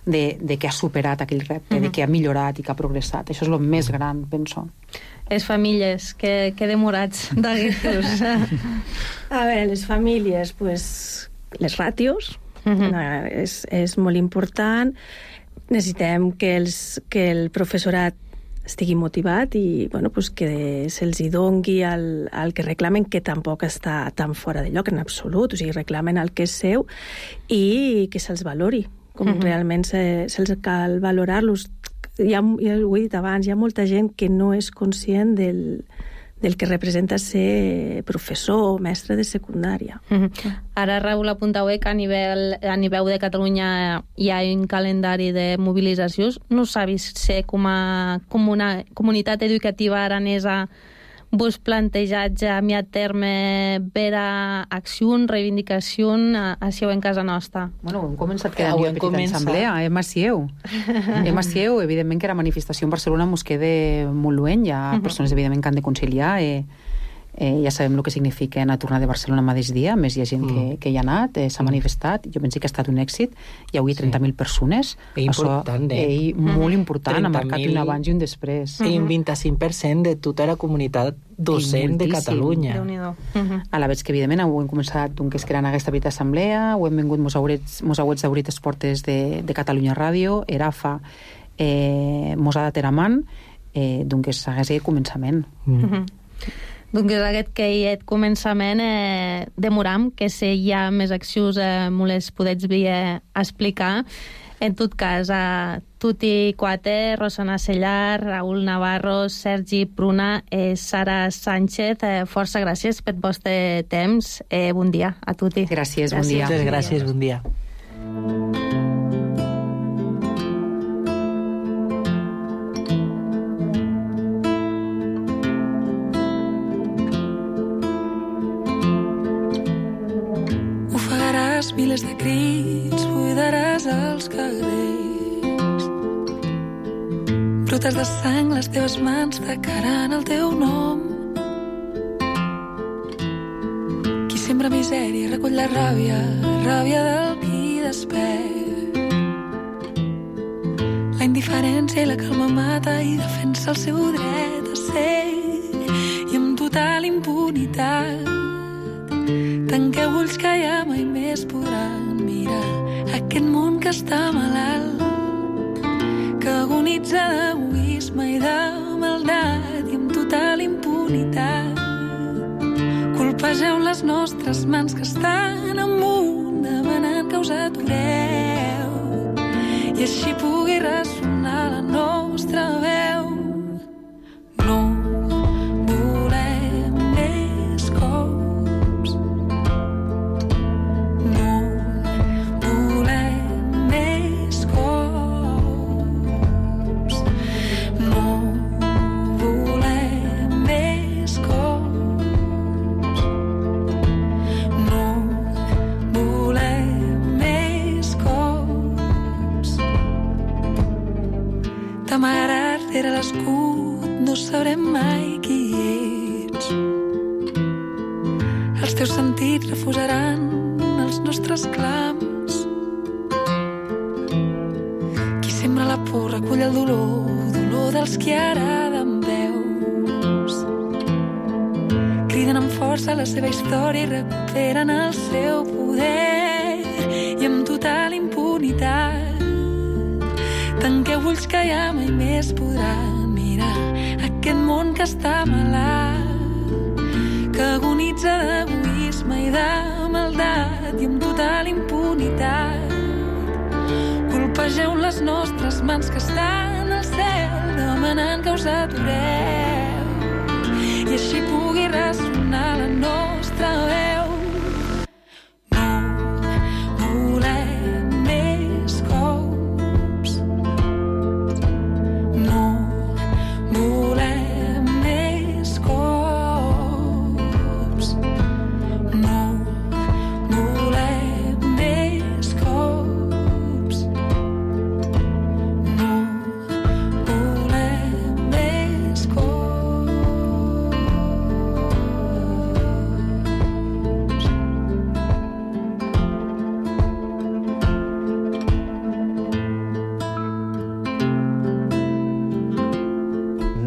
de, de que ha superat aquell repte, uh-huh. de que ha millorat i que ha progressat. Això és el més gran, penso. Les famílies, que, que demorats d'aguestos. A veure, les famílies, pues, les ràtios, uh-huh. és, és molt important. Necessitem que, els, que el professorat estigui motivat i bueno, pues que se'ls hi dongui el, el que reclamen, que tampoc està tan fora de lloc en absolut, o sigui, reclamen el que és seu i que se'ls valori, com uh-huh. realment se, se'ls cal valorar-los. Ja, ja ho he dit abans, hi ha molta gent que no és conscient del, del que representa ser professor o mestre de secundària. Uh-huh. Ara, Raül, apuntau que a nivell, a nivell de Catalunya hi ha un calendari de mobilitzacions. No s'ha vist ser com a, com una comunitat educativa aranesa vos plantejats a mi a terme vera acció, reivindicació així en casa nostra? Bueno, hem començat que hi ha petita assemblea, eh, Macieu. Eh, Macieu, evidentment que la manifestació en Barcelona mos queda molt lluent, hi ha uh-huh. persones evidentment que han de conciliar, eh, eh, ja sabem el que significa anar a tornar de Barcelona el mateix dia, més hi ha gent mm. que, que hi ha anat, eh, s'ha mm. manifestat, jo penso que ha estat un èxit, hi ha avui trenta mil persones, és important, eh? eh molt important, ha marcat un abans i un després. I un vint-i-cinc per cent de tota la comunitat docent de Catalunya. Uh-huh. A la vegada que, evidentment, ho hem començat d'un que es creant aquesta petita assemblea, ho hem vengut mos haurets, mos haurets d'obrir les portes de, de Catalunya Ràdio, ERAFA, eh, mos ha de teraman, eh, d'un que s'hagués aquest començament. Mm. Uh-huh. Doncs aquest que hi ha començament eh, demoram, que si hi ha més accions eh, me les podets dir eh, explicar. En tot cas, a Tuti Cuate, Rosana Sellar, Raül Navarro, Sergi Pruna, eh, Sara Sánchez, eh, força gràcies per vostre temps. Eh, bon dia a Tuti. Gràcies, bon dia. Moltes gràcies, bon dia. Miles de crits, buidaràs els carrers. Brutes de sang, les teves mans fracaran el teu nom. Qui sembra misèria recull la ràbia, ràbia del qui despert. La indiferència i la calma mata i defensa el seu dret a ser. I amb total impunitat tanqueu ulls que ja mai més podran mirar aquest món que està malalt, que agonitza d'egoisme i de maldat, i amb total impunitat colpegeu les nostres mans que estan amunt demanant que us atureu i així pugui ressonar la nostra veu. No sabrem mai qui ets. Els teus sentits refusaran els nostres clams. Qui sembra la por recull el dolor, dolor dels qui araden veus. Criden amb força la seva història i recuperen el seu poder. I amb total impunitat tanqueu ulls que ja mai més podran mirar aquest món que està malalt, que agonitza d'egoisme i de maldat, i amb total impunitat colpegeu les nostres mans que estan al cel demanant que us atureu i així pugui ressonar la nostra veu.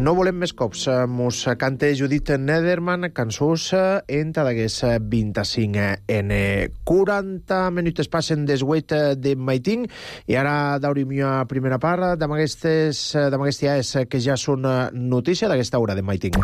No volem més cops. Mos cante Judith Nederman, cançons enta d'aguest vint-i-cinc en quaranta minuts passen des vuit de maiting i ara daurim a primera part d'aquestes dies que ja són notícia d'aquesta hora de maiting.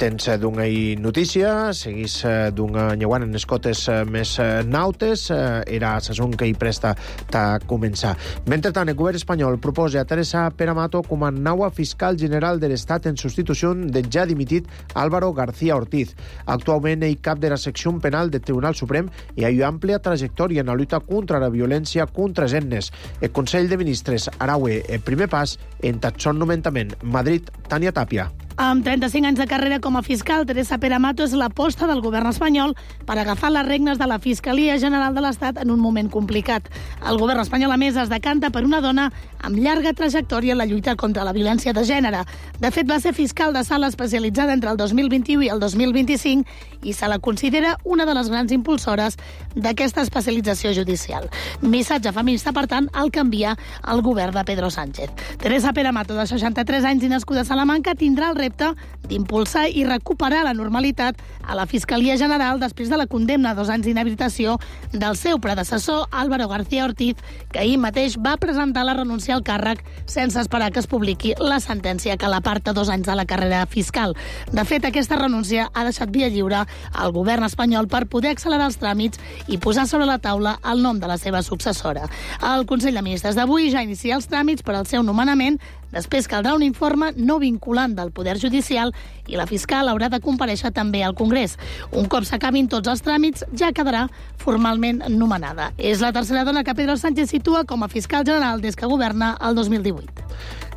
Tens d'una notícia, seguís d'una nyeuant en escotes més nautes, era sasón que hi presta a començar. Mentrestant, el govern espanyol proposa a Teresa Peramato com a nova fiscal general de l'Estat en substitució del ja dimitit Álvaro García Ortiz. Actualment ell cap de la secció penal del Tribunal Suprem i ha àmplia trajectòria en la lluita contra la violència contra gennes. El Consell de Ministres araue el primer pas en tatxon nomentament. Madrid, Tània Tàpia. Amb trenta-cinc anys de carrera com a fiscal, Teresa Peramato és l'aposta del govern espanyol per agafar les regnes de la Fiscalia General de l'Estat en un moment complicat. El govern espanyol, a més, es decanta per una dona amb llarga trajectòria en la lluita contra la violència de gènere. De fet, va ser fiscal de sala especialitzada entre el dos mil vint-i-u i el dos mil vint-i-cinc i se la considera una de les grans impulsores d'aquesta especialització judicial. Missatge feminista, per tant, el canvia el govern de Pedro Sánchez. Teresa Peramato, de seixanta-tres anys i nascuda a Salamanca, tindrà el repte d'impulsar i recuperar la normalitat a la Fiscalia General després de la condemna a dos anys d'inhabilitació del seu predecessor, Álvaro García Ortiz, que ahir mateix va presentar la renúncia al càrrec sense esperar que es publiqui la sentència que l'aparta dos anys de la carrera fiscal. De fet, aquesta renúncia ha deixat via lliure al govern espanyol per poder accelerar els tràmits i posar sobre la taula el nom de la seva successora. El Consell de Ministres d'avui ja inicia els tràmits per al seu nomenament. Després caldrà un informe no vinculant del Poder Judicial i la fiscal haurà de comparèixer també al Congrés. Un cop s'acabin tots els tràmits, ja quedarà formalment nomenada. És la tercera dona que Pedro Sánchez situa com a fiscal general des que governa el dos mil divuit.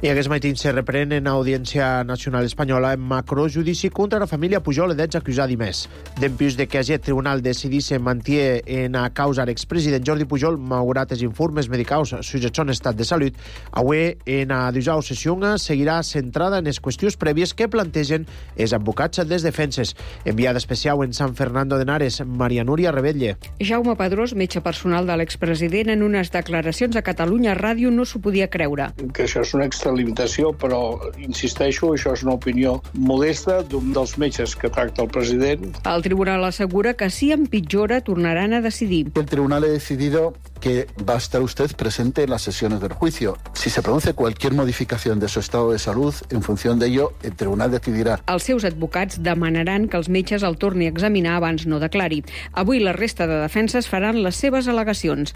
I aquest matí se reprèn en Audiència Nacional Espanyola en macrojudici contra la família Pujol i d'ets acusats i més. Dempués de que aquest tribunal decidisse mantier en a causa l'expresident Jordi Pujol, malgrat els informes medicaus sobre son estat de salut, avui en a dijous sessió seguirà centrada en les qüestions prèvies que plantegen els advocats des defenses. Enviada especial en San Fernando de Henares, Maria Núria Rebetlle. Jaume Pedrós, metge personal de l'expresident, en unes declaracions a Catalunya Ràdio no s'ho podia creure. Que això és una extralimitació, però, insisteixo, això és una opinió modesta d'un dels metges que tracta el president. El tribunal assegura que si empitjora tornaran a decidir. El tribunal ha decidido que va a estar usted presente en las sesiones del juicio. Si se produce cualquier modificación de su estado de salud, en función de ello, el tribunal decidirà. Els seus advocats demanaran que els metges el torni a examinar abans no declari. Avui la resta de defenses faran les seves al·legacions.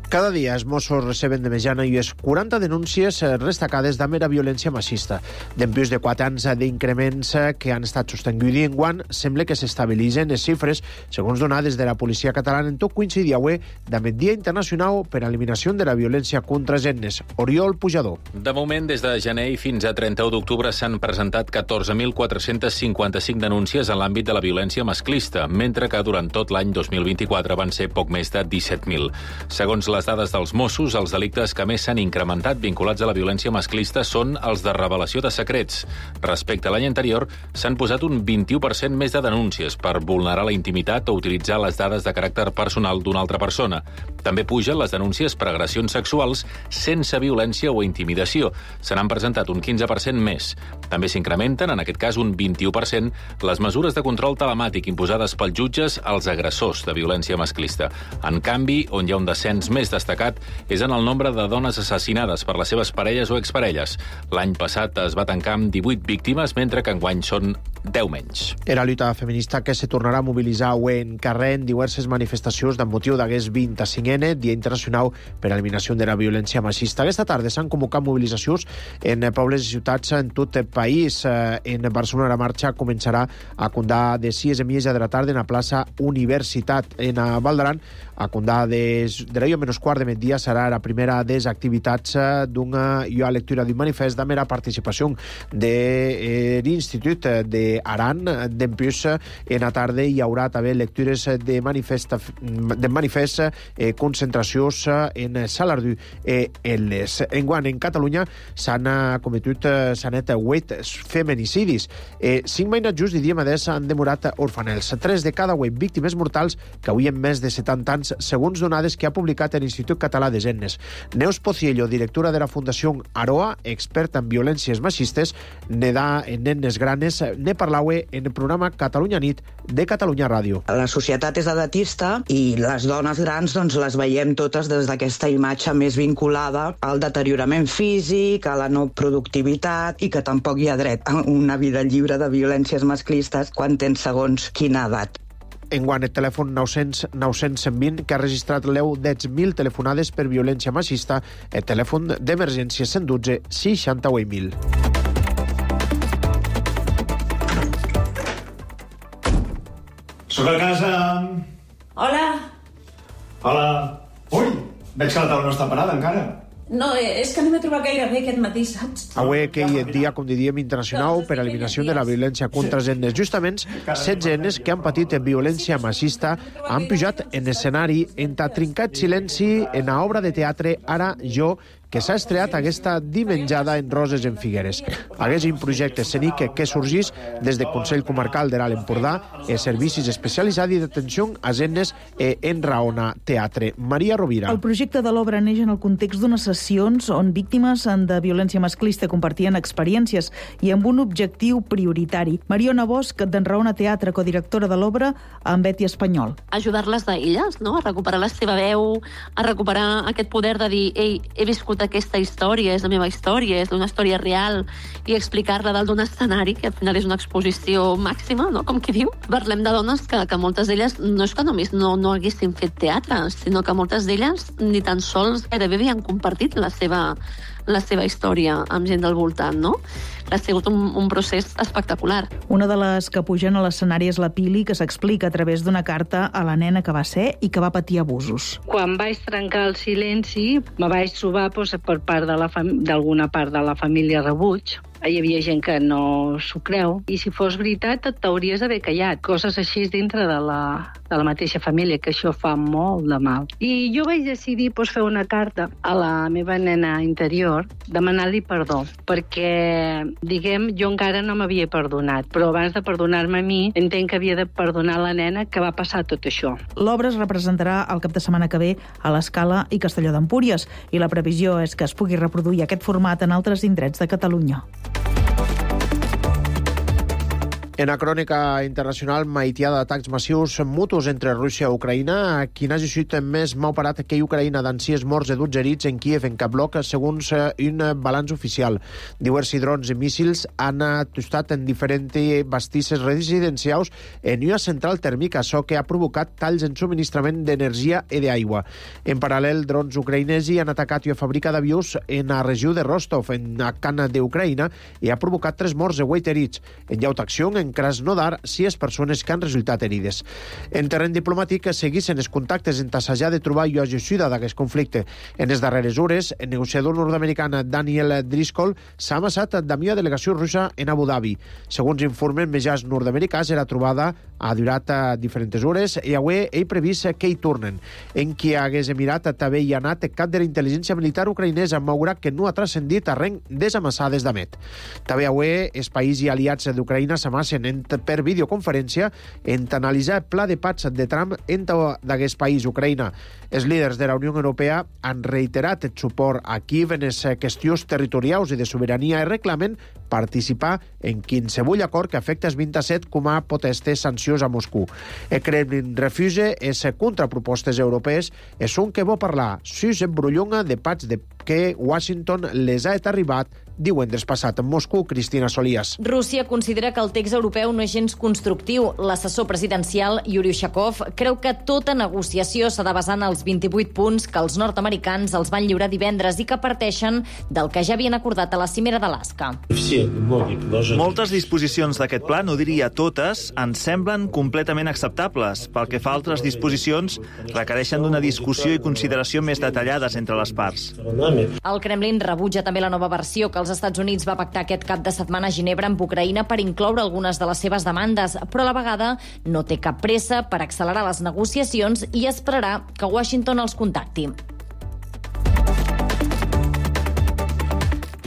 Cada dia els Mossos receben de mitjana i les quaranta denúncies destacades de mera violència massista. Dempués de quatre anys d'increments que han estat sostinguts en guant, sembla que s'estabilitzen les xifres, segons donades de la policia catalana, en tot coincidir avui amb el Dia Internacional per a l'Eliminació de la Violència contra Gennes. Oriol Pujador. De moment, des de gener i fins a trenta-u d'octubre s'han presentat catorze mil quatre-cents cinquanta-cinc denúncies en l'àmbit de la violència masclista, mentre que durant tot l'any dos mil vint-i-quatre van ser poc més de disset mil. Segons les dades dels Mossos, els delictes que més s'han incrementat vinculats a la violència masclista són els de revelació de secrets. Respecte a l'any anterior, s'han posat un vint-i-u per cent més de denúncies per vulnerar la intimitat o utilitzar les dades de caràcter personal d'una altra persona. També pugen les denúncies per agressions sexuals sense violència o intimidació. Se n'han presentat un quinze per cent més. També s'incrementen, en aquest cas un vint-i-u per cent, les mesures de control telemàtic imposades pels jutges als agressors de violència masclista. En canvi, on hi ha un descens més destacat és en el nombre de dones assassinades per les seves parelles o exparelles. L'any passat es va tancar amb divuit víctimes, mentre que enguany són deu menys. Era la lluita feminista que se tornarà a mobilitzar avui en carrer en diverses manifestacions amb motiu d'aquest vint-i-cinquè Dia Internacional per a l'Eliminació de la Violència Machista. Aquesta tarda s'han convocat mobilitzacions en pobles i ciutats en tot el país. En Barcelona la marxa començarà a Condà de sis i mitja de la tarda en la plaça Universitat. En Valdaran, a Condà de, de l'ahir menys quart de migdia serà la primera de les activitats d'una lectura d'un manifest de mera participació de l'Institut de de Aran. Dempús, en la tarda hi haurà també lectures de manifest, de manifest eh, concentracions en Salardú i Elles. Enguant, en Catalunya s'han cometut sanet vuit feminicidis. Eh, cinc mainats just i dia madès han demorat orfanels. Tres de cada vuit víctimes mortals que avui en més de setanta anys, segons donades que ha publicat l'Institut Català de Gennes. Neus Pociello, directora de la Fundació Aroa, experta en violències machistes, nedà en nenes granes, ne parlaue en el programa Catalunya Nit de Catalunya Ràdio. La societat és edatista i les dones grans doncs, les veiem totes des d'aquesta imatge més vinculada al deteriorament físic, a la no productivitat i que tampoc hi ha dret a una vida lliure de violències masclistes quan tens segons quina edat. Enguant, el telèfon nou cents nou cents cent vint, que ha registrat l'eu deu mil telefonades per violència machista, el telèfon d'emergència cent dotze seixanta-vuit mil. Soc a casa. Hola. Hola. Ui, veig que la taula no està parada encara. No, és que no m'he trobat gaire bé aquest matí, saps? Avui aquell dia, com diríem, internacional per a l'eliminació de la violència contra els nenes. Justament, setze nenes que han patit violència machista han pujat en escenari en trincat silenci en la obra de teatre Ara jo, que s'ha estreat aquesta dimenjada en Roses en Figueres. Hagués un projecte escènic que sorgís des del Consell Comarcal de l'Alt Empordà i servicis especialitzats d'atenció a nenes en Raona Teatre. Maria Rovira. El projecte de l'obra neix en el context d'unes sessions on víctimes de violència masclista compartien experiències i amb un objectiu prioritari. Mariona Bosch, d'en Raona Teatre, codirectora de l'obra, amb Betty Espanyol. Ajudar-les d'elles, no? A recuperar la seva veu, a recuperar aquest poder de dir, ei, he viscut aquesta història, és la meva història, és una història real, i explicar-la dalt d'un escenari, que al final és una exposició màxima, no? Com qui diu. Parlem de dones que, que moltes d'elles no és que només no, no haguessin fet teatre, sinó que moltes d'elles ni tan sols gairebé havien compartit la seva, la seva història amb gent del voltant, no? Ha sigut un, un procés espectacular. Una de les que pugen a l'escenari és la Pili, que s'explica a través d'una carta a la nena que va ser i que va patir abusos. Quan vaig trencar el silenci, me vaig trobar doncs, per part de la fam- d'alguna part de la família rebuig. Hi havia gent que no s'ho creu, i si fos veritat et t'hauries d'haver callat. Coses així dintre de la, de la mateixa família, que això fa molt de mal. I jo vaig decidir doncs, fer una carta a la meva nena interior, demanant-li perdó, perquè, diguem, jo encara no m'havia perdonat, però abans de perdonar-me a mi, entenc que havia de perdonar la nena que va passar tot això. L'obra es representarà el cap de setmana que ve a l'Escala i Castelló d'Empúries, i la previsió és que es pugui reproduir aquest format en altres indrets de Catalunya. En la crònica internacional, maitiada d'atacs massius mutus entre Rússia i Ucraïna, quin hagi sigut més mau parat que Ucraïna d'ansies morts i dotze herits en Kíev, en cap bloc, segons un balanç oficial. Diversos drons i míssils han atustat en diferents bastisses residencials en una central tèrmica, això que ha provocat talls en subministrament d'energia i d'aigua. En paral·lel, drons ucraïnesi han atacat una fàbrica d'avions en la regió de Rostov, en la Cana d'Ucraïna, i ha provocat tres morts i vuit herits. En llautacció, en Krasnodar, sis persones que han resultat herides. En terreny diplomàtic, seguissin els contactes en tassejar de trobar una gestió d'aquest conflicte. En les darreres hores, el negociador nord-americà Daniel Driscoll s'ha amassat amb una delegació russa en Abu Dhabi. Segons informen mitjans nord-americans, la trobada ha durat diferents hores i avui ell previst que hi tornen. En qui hagués emirat també hi ha anat cap de la intel·ligència militar ucraïnesa, malgrat que no ha transcendit a reng desamassades d'Amet. També avui els països i aliats d'Ucraïna s'amassen per videoconferència en analitzar el pla de paz de Trump entre d'aquest país, Ucraïna. Els líders de la Unió Europea han reiterat el suport a Kíev en les qüestions territorials i de sobirania i reclamen participar en qualsevol acord que afecta els vint-i-set com a potestes sancions a Moscou. El Kremlin refusa les contrapropostes europees i són que vol parlar sus en brullonga de paz de que Washington les ha arribat divendres passat en Moscou. Cristina Solías. Rússia considera que el text europeu no és gens constructiu. L'assessor presidencial Yuri Ushakov creu que tota negociació s'ha de basar en els vint-i-vuit punts que els nord-americans els van lliurar divendres i que parteixen del que ja havien acordat a la cimera d'Alaska. Moltes disposicions d'aquest pla, no diria totes, ens semblen completament acceptables. Pel que fa a altres disposicions, requereixen d'una discussió i consideració més detallades entre les parts. El Kremlin rebutja també la nova versió que els Estats Units va pactar aquest cap de setmana a Ginebra amb Ucraïna per incloure algunes de les seves demandes, però a la vegada no té cap pressa per accelerar les negociacions i esperarà que Washington els contacti.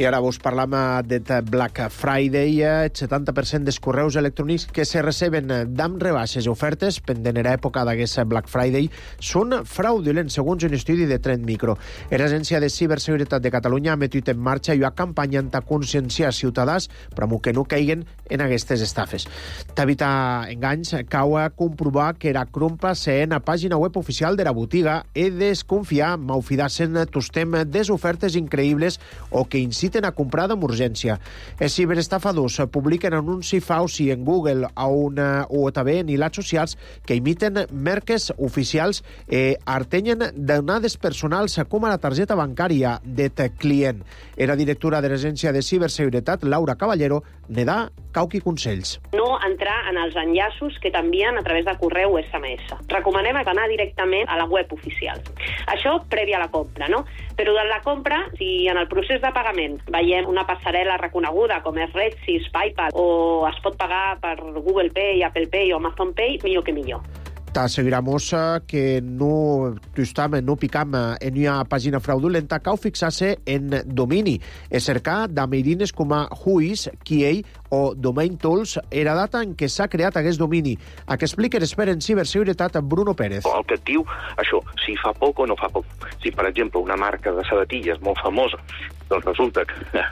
I ara vos parlam de Black Friday. El setanta per cent dels correus electrònics que se receben d'amb rebaixes i ofertes pendent era època d'aquest Black Friday són fraudulents, segons un estudi de Trend Micro. L'Agència de Ciberseguretat de Catalunya ha metit en marxa una campanya per conscienciar ciutadans per que no caiguen en aquestes estafes. D'evitar enganys, cau a comprovar que era crompa ser en la pàgina web oficial de la botiga i desconfiar, malfidar-se'n tostem des ofertes increïbles o que inciten a comprar amb urgència. Els ciberestafadors publiquen anuncis falsi en Google o, una, o també en hilats socials que imiten marques oficials i artenyen donades personals com a la targeta bancària de client. Era directora de l'Agència de Ciberseguretat, Laura Caballero, ne da cauqui consells. No entrar en els enllaços que t'envien a través de correu o esse eme esse. Recomanem anar directament a la web oficial. Això prèvia a la compra, no? Però de la compra, si en el procés de pagament veiem una passarel·la reconeguda com és Redsys, PayPal, o es pot pagar per Google Pay, Apple Pay o Amazon Pay, millor que millor. T'asseguramos que no, justament, no picam en una pàgina fraudulenta, cal fixar-se en domini i cercar dameirines com a Whois, Kiei o Domain Tools era data en què s'ha creat aquest domini. A què explica l'expert en ciberseguretat Bruno Pérez. El que et diu això, si fa poc o no fa poc. Si, per exemple, una marca de sabatilles molt famosa, doncs resulta que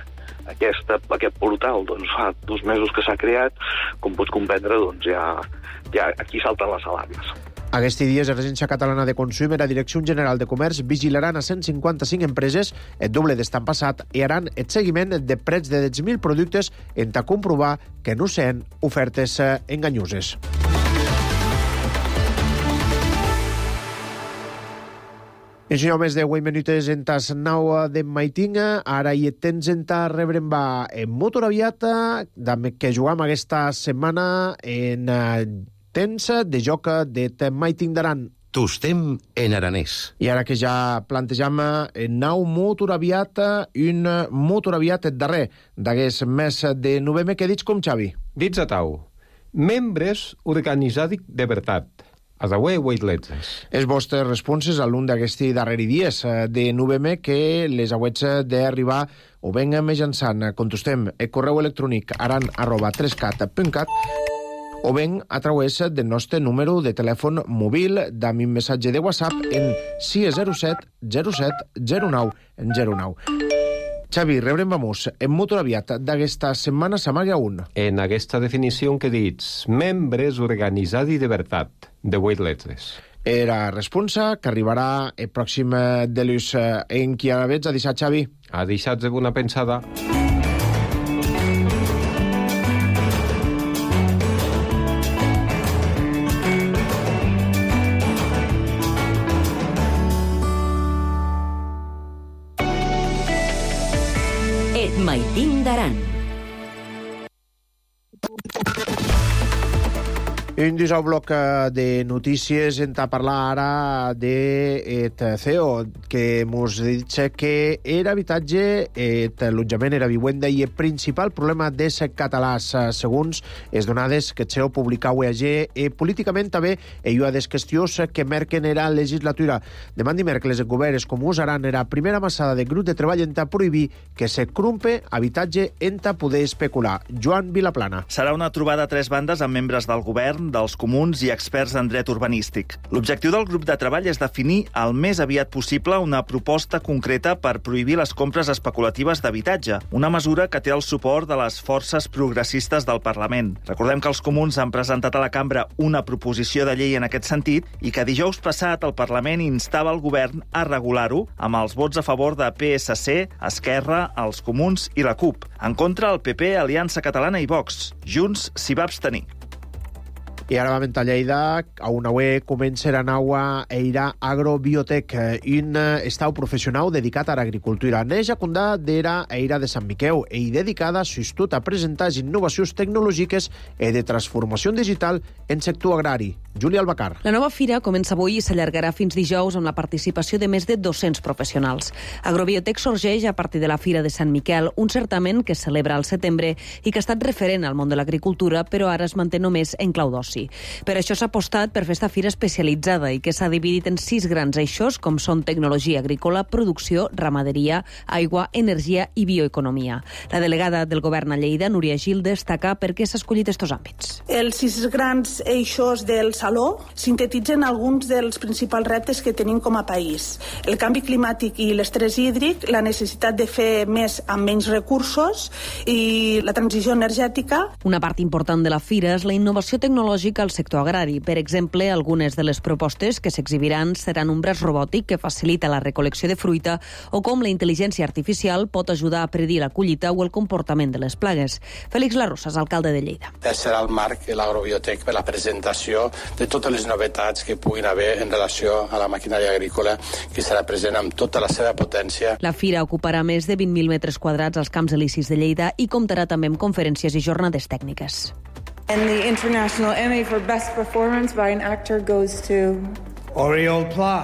Aquesta, aquest portal doncs, fa dos mesos que s'ha creat, com pots comprendre, doncs, ja, ja aquí salten les alarmes. Aquests dies, l'Agència Catalana de Consum i la Direcció General de Comerç vigilaran a cent cinquanta-cinc empreses, el doble d'estan passat, i haran el seguiment de precs de deu mil productes en ta comprovar que no sent ofertes enganyoses. Ensenyeu més de vuit minutes en tas nou de maitinga. Ara hi tens en ta rebrem va en motor aviat, que jugam aquesta setmana en temps de joc de maiting d'Aran. Tostem en aranès. I ara que ja plantejam en nou motor aviat, un motor aviat darrer d'aquest mes de novembre, que dits com, Xavi? Dits a tau. Membres organitzats de veritat. Adaué, Weightlets. Els vostres responses a l'un d'aquests darrers dies de novembre que les hauets d'arribar o ben mitjançant, contestem el correu electrònic aran arroba trescat punt cat o ben a través del nostre número de telèfon mòbil d'ami missatge de WhatsApp en sis zero set zero set zero nou zero nou. Xavi, rebrem vamos. En motor aviat d'aquesta setmana s'amaga un. En aquesta definició que dits, membres organitzats de veritat, de vuit lletres. Era responsa que arribarà el pròxim de l'ús en qui avets a deixar, Xavi. A deixar de bona pensada. Maitín d'Aran. Un disau bloc de notícies en ta parlar ara de et C E O, que mos dit que era habitatge, et allotjament era vivenda i el principal problema des catalans, segons les donades que el C E O publica U E G, i políticament també hi ha des qüestions que merquen era legislatura. Demà dimecres el govern com usaran era primera massada de grup de treball en ta prohibir que se crumpe habitatge en ta poder especular. Joan Vilaplana. Serà una trobada a tres bandes amb membres del govern, dels comuns i experts en dret urbanístic. L'objectiu del grup de treball és definir el més aviat possible una proposta concreta per prohibir les compres especulatives d'habitatge, una mesura que té el suport de les forces progressistes del Parlament. Recordem que els comuns han presentat a la cambra una proposició de llei en aquest sentit i que dijous passat el Parlament instava el govern a regular-ho amb els vots a favor de P S C, Esquerra, els comuns i la CUP. En contra, el P P, Aliança Catalana i Vox. Junts s'hi va abstenir. I ara vam a Lleida, a una web comença a naua Eira Agrobiotec, un estau professional dedicat a l'agricultura. Neix a Condà d'era Eira de Sant Miqueu i dedicada s'estut a presentar innovacions tecnològiques i de transformació digital en sector agrari. Júlia Albacar. La nova fira comença avui i s'allargarà fins dijous amb la participació de més de dos-cents professionals. Agrobiotec sorgeix a partir de la Fira de Sant Miquel, un certamen que es celebra al setembre i que ha estat referent al món de l'agricultura, però ara es manté només en clau d'oci. Per això s'ha apostat per fer esta fira especialitzada i que s'ha dividit en sis grans eixos, com són tecnologia agrícola, producció, ramaderia, aigua, energia i bioeconomia. La delegada del govern a Lleida, Núria Gil, destaca per què s'ha escollit estos àmbits. Els sis grans eixos del Saló sintetitzen alguns dels principals reptes que tenim com a país. El canvi climàtic i l'estrès hídric, la necessitat de fer més amb menys recursos i la transició energètica. Una part important de la fira és la innovació tecnològica al sector agrari. Per exemple, algunes de les propostes que s'exhibiran seran un braç robòtic que facilita la recol·lecció de fruita o com la intel·ligència artificial pot ajudar a predir la collita o el comportament de les plagues. Félix Larrosas, alcalde de Lleida. Serà el marc de l'Agrobiotec per la presentació de totes les novetats que puguin haver en relació a la maquinària agrícola, que serà present amb tota la seva potència. La fira ocuparà més de vint mil metres quadrats als Camps Elisis de Lleida i comptarà també amb conferències i jornades tècniques. And the International Emmy for Best Performance by an Actor goes to... Oriol Pla.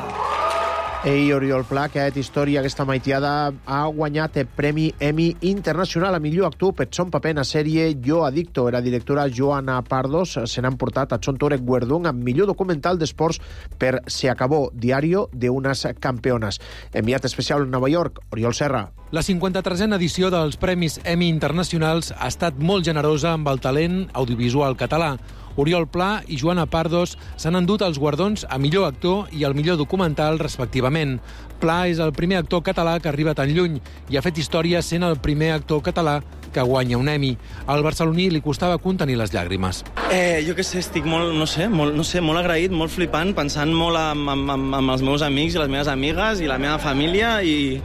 Ei, Oriol Pla, que ha fet història aquesta maitiada, ha guanyat el Premi Emmy Internacional a millor actor per son paper en la sèrie Jo Adicto. La directora Joana Pardos se n'ha emportat a son Torek Guerdón amb millor documental d'esports per Se acabó, diario de unes campeones. Enviat especial a Nova York, Oriol Serra. La cinquanta-tresena edició dels Premis Emmy Internacionals ha estat molt generosa amb el talent audiovisual català. Oriol Pla i Joana Pardos s'han endut els guardons a millor actor i al millor documental, respectivament. Pla és el primer actor català que arriba tan lluny i ha fet història sent el primer actor català que guanya un Emmy. Al barceloní li costava contenir les llàgrimes. Eh, jo què sé, estic molt, no sé, molt, no sé, molt agraït, molt flipant, pensant molt amb, amb, amb els meus amics i les meves amigues i la meva família i,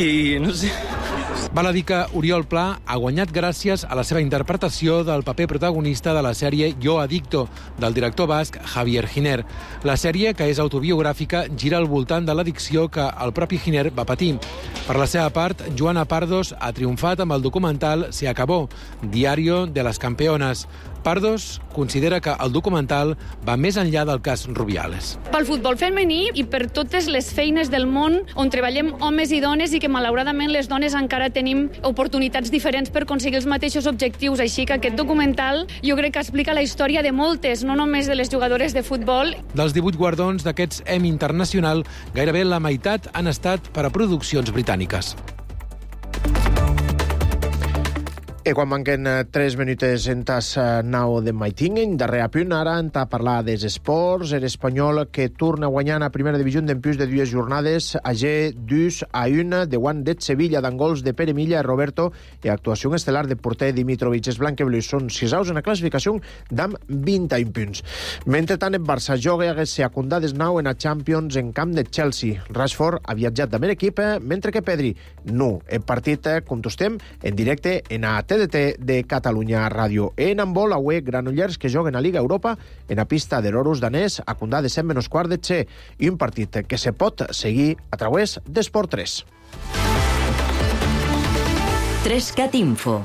i no sé... Val a dir que Oriol Pla ha guanyat gràcies a la seva interpretació del paper protagonista de la sèrie Jo Adicto, del director basc Javier Giner. La sèrie, que és autobiogràfica, gira al voltant de l'addicció que el propi Giner va patir. Per la seva part, Joana Pardos ha triomfat amb el documental Se acabó, diario de las campeones. Pardos considera que el documental va més enllà del cas Rubiales. Pel futbol femení i per totes les feines del món on treballem homes i dones i que malauradament les dones encara tenim oportunitats diferents per aconseguir els mateixos objectius. Així que aquest documental jo crec que explica la història de moltes, no només de les jugadores de futbol. Dels divuit guardons d'aquests Emmy Internacional, gairebé la meitat han estat per a produccions britàniques. I quan manquen tres minutes en tas nau de Maitinguen, darrere punt, ara en ta parlar dels esports, l'Espanyol que torna guanyant a primera divisió d'empús de dues jornades, a G dos a un, de guant de Sevilla, d'angols de Pere Milla i Roberto, i actuació estel·lar de porter Dimitrovic. Els blanquebleus són sisaus en la classificació d'amb vint-i-un punts. Mentre tant, el Barça joga a secundades nou en a Champions en camp de Chelsea. Rashford ha viatjat de mer equip, mentre que Pedri no. El partit, com tostem, en directe en a T D T de Catalunya Ràdio. En handbol, avui, Granollers que joguen a Liga Europa en la pista de l'Oros danès a Condà de set menys quart de xe, i un partit que se pot seguir a través d'Esport tres. tres cat Info.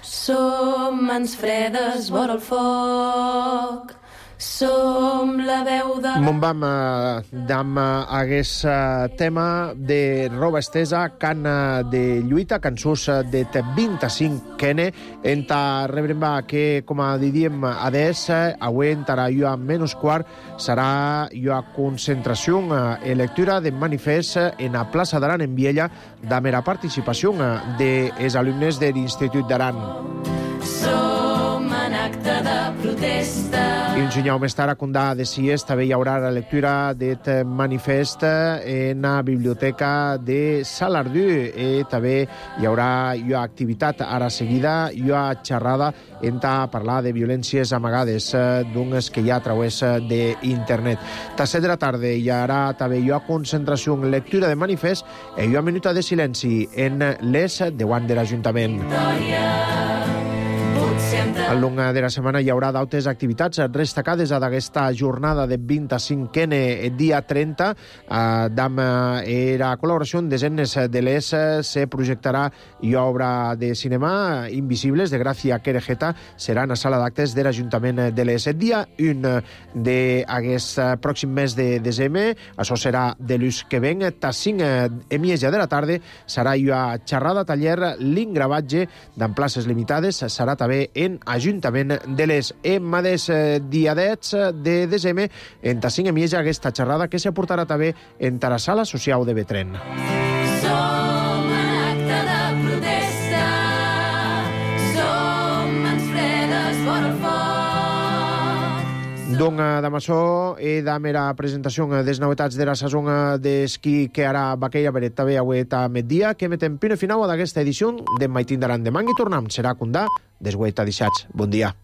Som mans fredes vora el foc, som la veu de... Mon vam d'am hagués tema de roba estesa, can de lluita, cançons de vint-i-cinc kene, en ta rebremba que, com a diríem, adés, avui entarà jo a menys quart, serà jo a concentració e lectura de manifest en a plaça d'Aran en Viella, de mera participació dels alumnes de l'Institut d'Aran. Som en acte de protesta. I un senyal més tard a Condà de Cies també hi haurà la lectura d'aquest manifest en la biblioteca de Salardú i també hi haurà hi ha activitat ara seguida, hi ha xerrada en parlar de violències amagades d'unes que hi ha a través d'internet. A set de la tarda hi haurà també hi ha concentració en lectura de manifest i hi ha minuta de silenci en les davant de l'Ajuntament. Al llarg de la setmana hi haurà d'altres activitats destacades d'aquesta jornada de vint-i-cinquè dia trenta. Amb la col·laboració en desenes de les se projectarà i obra de cinema Invisibles de Gràcia Querejeta serà en la sala d'actes de l'Ajuntament de les. Dia un d'aquest pròxim mes de desembre, això serà de l'ús que ven, a cinc i mitja de la tarda serà una xerrada taller l'ingravatge d'en places limitades, serà també en Ajuntament de les. En mateix dia deu de desembre, en ta cinc i mitja, aquesta xerrada que se portarà també en la sala social de Betren. Som acte de protesta, som mans fredes fora el foc. Donc, d'amaçò i damb era presentació des novetats de la sason d'esquí que ara Baqueia Beret també avui a migdia, que metem pino final d'aquesta edició de Mai Tindaran. Demà i tornem. Serà Condà, desguaita dissats. Bon dia.